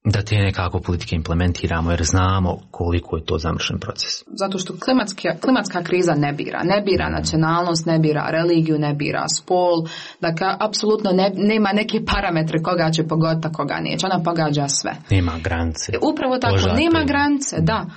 da te nekako politike implementiramo, jer znamo koliko je to zamršen proces? Zato što klimatska, klimatska kriza ne bira. Ne bira nacionalnost, ne bira religiju, ne bira spol. Dakle, apsolutno ne, nema neke parametre koga će pogoditi, koga neće. Ona pogađa sve. Nema granice. Upravo tako, Požate. Nema granice, da. Uh,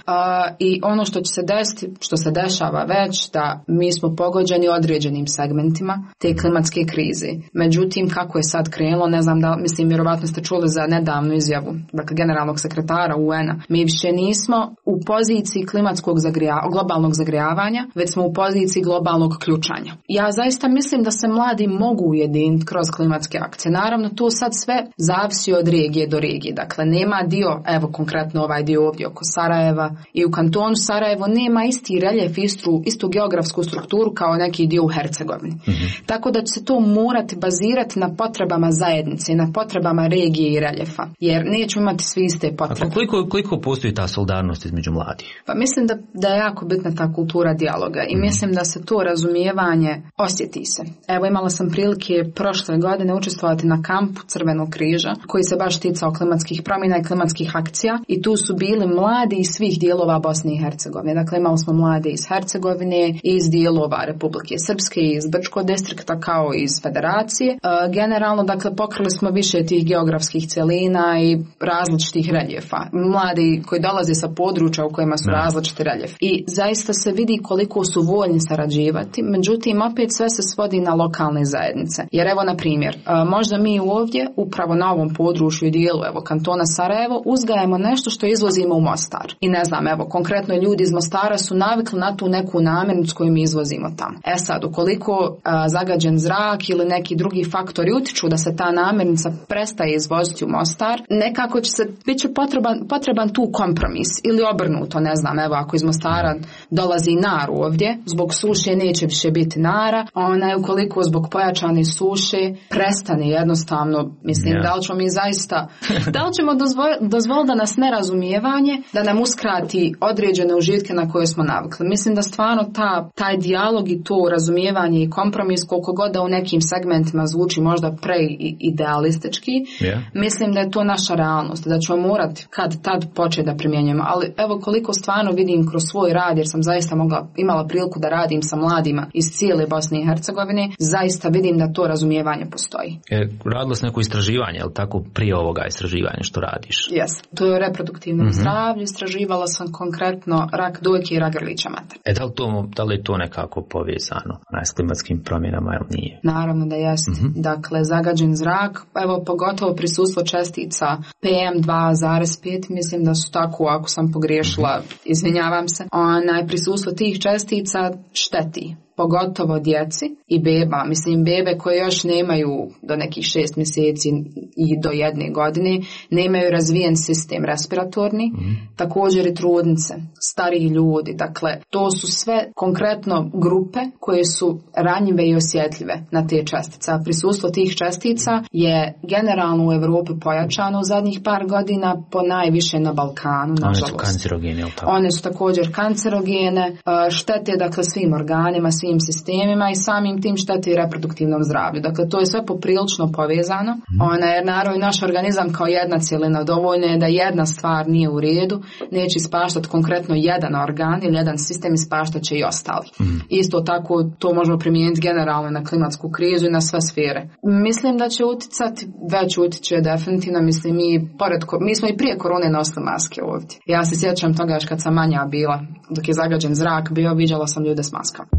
I ono što će se desiti, što se dešava već, da mi smo pogođeni određenim segmentima te klimatske krize. Međutim, kako je sad krenulo, ne znam da, mislim, vjerovatno ste čuli za nedavnu izjavu, dakle, generalnog sekretara U N-a. Mi više nismo u poziciji klimatskog zagrija, globalnog zagrijavanja, već smo u poziciji globalnog ključanja. Ja zaista mislim da se mladi mogu ujediniti kroz klimatske akcije. Naravno, to sad sve zavisi od regije do regije. Dakle, nema dio, evo konkretno ovaj dio ovdje oko Sarajeva i u kantonu Sarajevo nema isti reljef, istu, istu geografsku strukturu kao neki dio u Hercegovini. Mm-hmm. Tako da će se to morati bazirati na potrebama zajednice, na potrebama regije i reljefa. Jer nećemo imati svi iste potrebe. A koliko, koliko postoji ta solidarnost između mladih? Pa mislim da, da je jako bitna ta kultura dijaloga i mm. mislim da se to razumijevanje osjeti se. Evo, imala sam prilike prošle godine učestvovati na kampu Crvenog križa koji se baš ticao klimatskih promjena i klimatskih akcija i tu su bili mladi iz svih dijelova Bosne i Hercegovine. Dakle, imali smo mlade iz Hercegovine, iz dijelova Republike Srpske, iz Brčkog distrikta kao i iz Federacije. E, generalno, dakle, pokrili smo više tih geografskih cjelina i različitih reljefa. Mladi koji dolaze sa područja u kojima su ne. različiti reljefi. I zaista se vidi koliko su voljni sarađivati, međutim opet sve se svodi na lokalne zajednice. Jer evo na primjer, možda mi ovdje, upravo na ovom području i dijelu evo kantona Sarajevo, uzgajamo nešto što izvozimo u Mostar. I ne znam, evo konkretno ljudi iz Mostara su navikli na tu neku namirnicu koju mi izvozimo tamo. E sad, ukoliko a, zagađen zrak ili neki drugi faktori utiču da se ta namirnica prestaje izvoziti u Mostar, nekako će se, bit će potreban, potreban tu kompromis ili obrnuto, ne znam, evo ako iz Mostara dolazi nar ovdje, zbog suše neće više biti nara, ona ukoliko zbog pojačane suše prestane jednostavno, mislim, yeah. da li ćemo mi zaista, da li ćemo dozvoliti dozvol da nas nerazumijevanje, da nam uskrati određene užitke na koje smo navikli. Mislim da stvarno ta, taj dijalog i to razumijevanje i kompromis, koliko god da u nekim segmentima zvuči možda preidealistički, yeah. mislim da je to naša realnost, da ćemo morati kad tad početi da primjenjujemo. Ali evo koliko stvarno vidim kroz svoj rad, jer sam zaista mogla, imala priliku da radim sa mladima iz cijele Bosne i Hercegovine, zaista vidim da to razumijevanje postoji. E, radilo se neko istraživanje, je li tako, prije ovoga istraživanja što radiš? Jes, to je o reproduktivnom mm-hmm. zdravlju, istraživala sam konkretno rak dojke i rak grlića mater. E, da li, to, da li je to nekako povezano s klimatskim promjenama ili nije? Naravno da jest. Mm-hmm. Dakle, zagađen zrak, evo pogotovo prisustvo čestica P M dva zarez pet, mislim da su tako, ako sam pogriješila, izvinjavam se, onaj prisustvo tih čestica šteti. Pogotovo djeci i beba, mislim bebe koje još nemaju do nekih šest mjeseci i do jedne godine, nemaju razvijen sistem respiratorni, mm. također i trudnice, stariji ljudi, dakle to su sve konkretno grupe koje su ranjive i osjetljive na te čestice. A prisustvo tih čestica je generalno u Europi pojačano u zadnjih par godina, po najviše na Balkanu, nažalost. One su kancerogene, ili tako? One su također kancerogene, štete dakle svim organima, svim sistemima i samim tim šteti i reproduktivnom zdravlju. Dakle, to je sve poprilično povezano. Mm. Ona je naravno naš organizam kao jedna cjelina. Dovoljno je da jedna stvar nije u redu, neće ispaštati konkretno jedan organ ili jedan sistem, ispaštat će i ostali. Mm. Isto tako to možemo primijeniti generalno na klimatsku krizu i na sve sfere. Mislim da će uticati, već utiče definitivno, mislim mi pored, mi smo i prije korone nosili maske ovdje. Ja se sjećam toga još kad sam manja bila, dok je zagađen zrak bio, viđala sam ljude s maskama.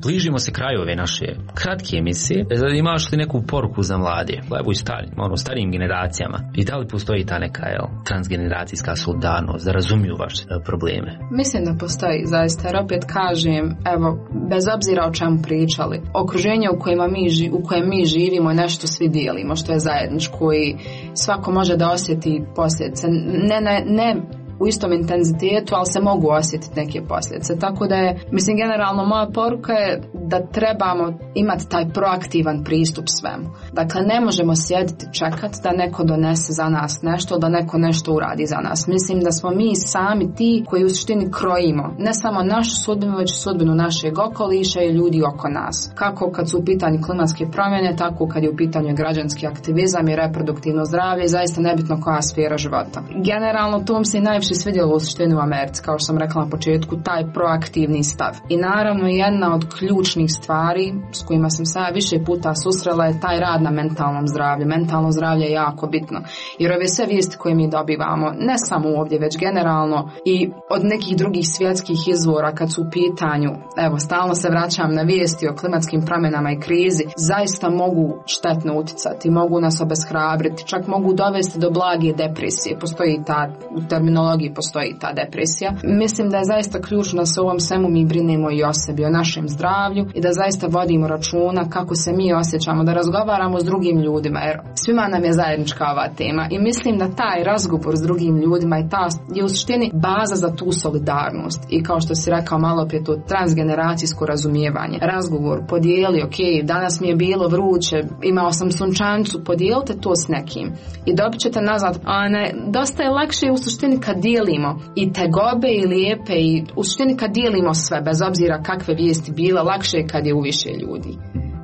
Bližimo se kraju ove naše kratke emisije. Imaš li neku poruku za mlade, evo i starim, ono, starijim generacijama? I da li postoji ta neka jel, transgeneracijska solidarnost, da razumiju vaše probleme? Mislim da postoji, zaista, jer opet kažem, evo, bez obzira o čemu pričali, okruženje u kojem mi, u kojem mi živimo je nešto svi dijelimo, što je zajedničko i svako može da osjeti posljedice. Ne, ne, ne u istom intenzitetu, ali se mogu osjetiti neke posljedice. Tako da je, mislim, generalno moja poruka je da trebamo imati taj proaktivan pristup svemu. Dakle, ne možemo sjediti čekati da neko donese za nas nešto, da neko nešto uradi za nas. Mislim da smo mi sami ti koji u suštini krojimo ne samo našu sudbinu, već sudbinu našeg okoliša i ljudi oko nas. Kako kad su u pitanju klimatske promjene, tako kad je u pitanju građanski aktivizam i reproduktivno zdravlje, zaista nebitno koja sfera života. Generalno, to mi se i najviše svidjelo u suštini u Americi, kao što sam rekla na početku, taj proaktivni stav. I naravno, jedna od ključnih stvari s kojima sam se više puta susrela je taj rad na mentalnom zdravlju. Mentalno zdravlje je jako bitno, jer ove sve vijesti koje mi dobivamo, ne samo ovdje, već generalno i od nekih drugih svjetskih izvora kad su u pitanju, evo, stalno se vraćam na vijesti o klimatskim promjenama i krizi, zaista mogu štetno utjecati, mogu nas obeshrabriti, čak mogu dovesti do blage depresije. Postoji ta, u terminologiji postoji ta depresija. Mislim da je zaista ključno da se u ovom svemu mi brinemo i o sebi, o našem zdravlju i da zaista vodimo računa kako se mi osjećamo, da razgovaramo s drugim ljudima, jer svima nam je zajednička ova tema i mislim da taj razgovor s drugim ljudima i ta je u suštini baza za tu solidarnost i kao što si rekao malo prije, to transgeneracijsko razumijevanje. Razgovor, podijeli, ok, danas mi je bilo vruće, imao sam sunčancu, podijelite to s nekim i dobit ćete nazad, a ne, dosta je lakše u suštini kad dijelimo i tegobe i lijepe i u suštini kad dijelimo sve, bez obzira kakve vijesti bile, lakše je kad je u više ljudi.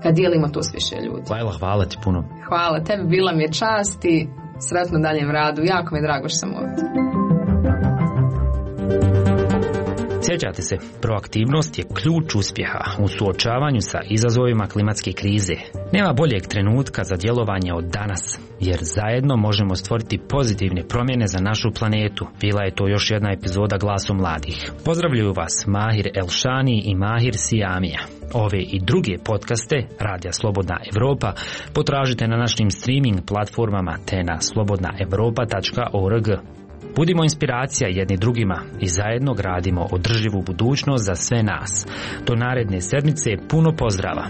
Kad dijelimo to s više ljudi. Lajla, hvala ti puno. Hvala tebi, bila mi je čast i sretno daljem radu. Jako mi je drago što sam ovdje. Sjećate se, proaktivnost je ključ uspjeha u suočavanju sa izazovima klimatske krize. Nema boljeg trenutka za djelovanje od danas, jer zajedno možemo stvoriti pozitivne promjene za našu planetu. Bila je to još jedna epizoda Glasu mladih. Pozdravljaju vas Mahir Elšani i Mahir Sijamija. Ove i druge podcaste Radija Slobodna Evropa potražite na našim streaming platformama te na slobodna evropa tačka org. Budimo inspiracija jedni drugima i zajedno gradimo održivu budućnost za sve nas. Do naredne sedmice puno pozdrava.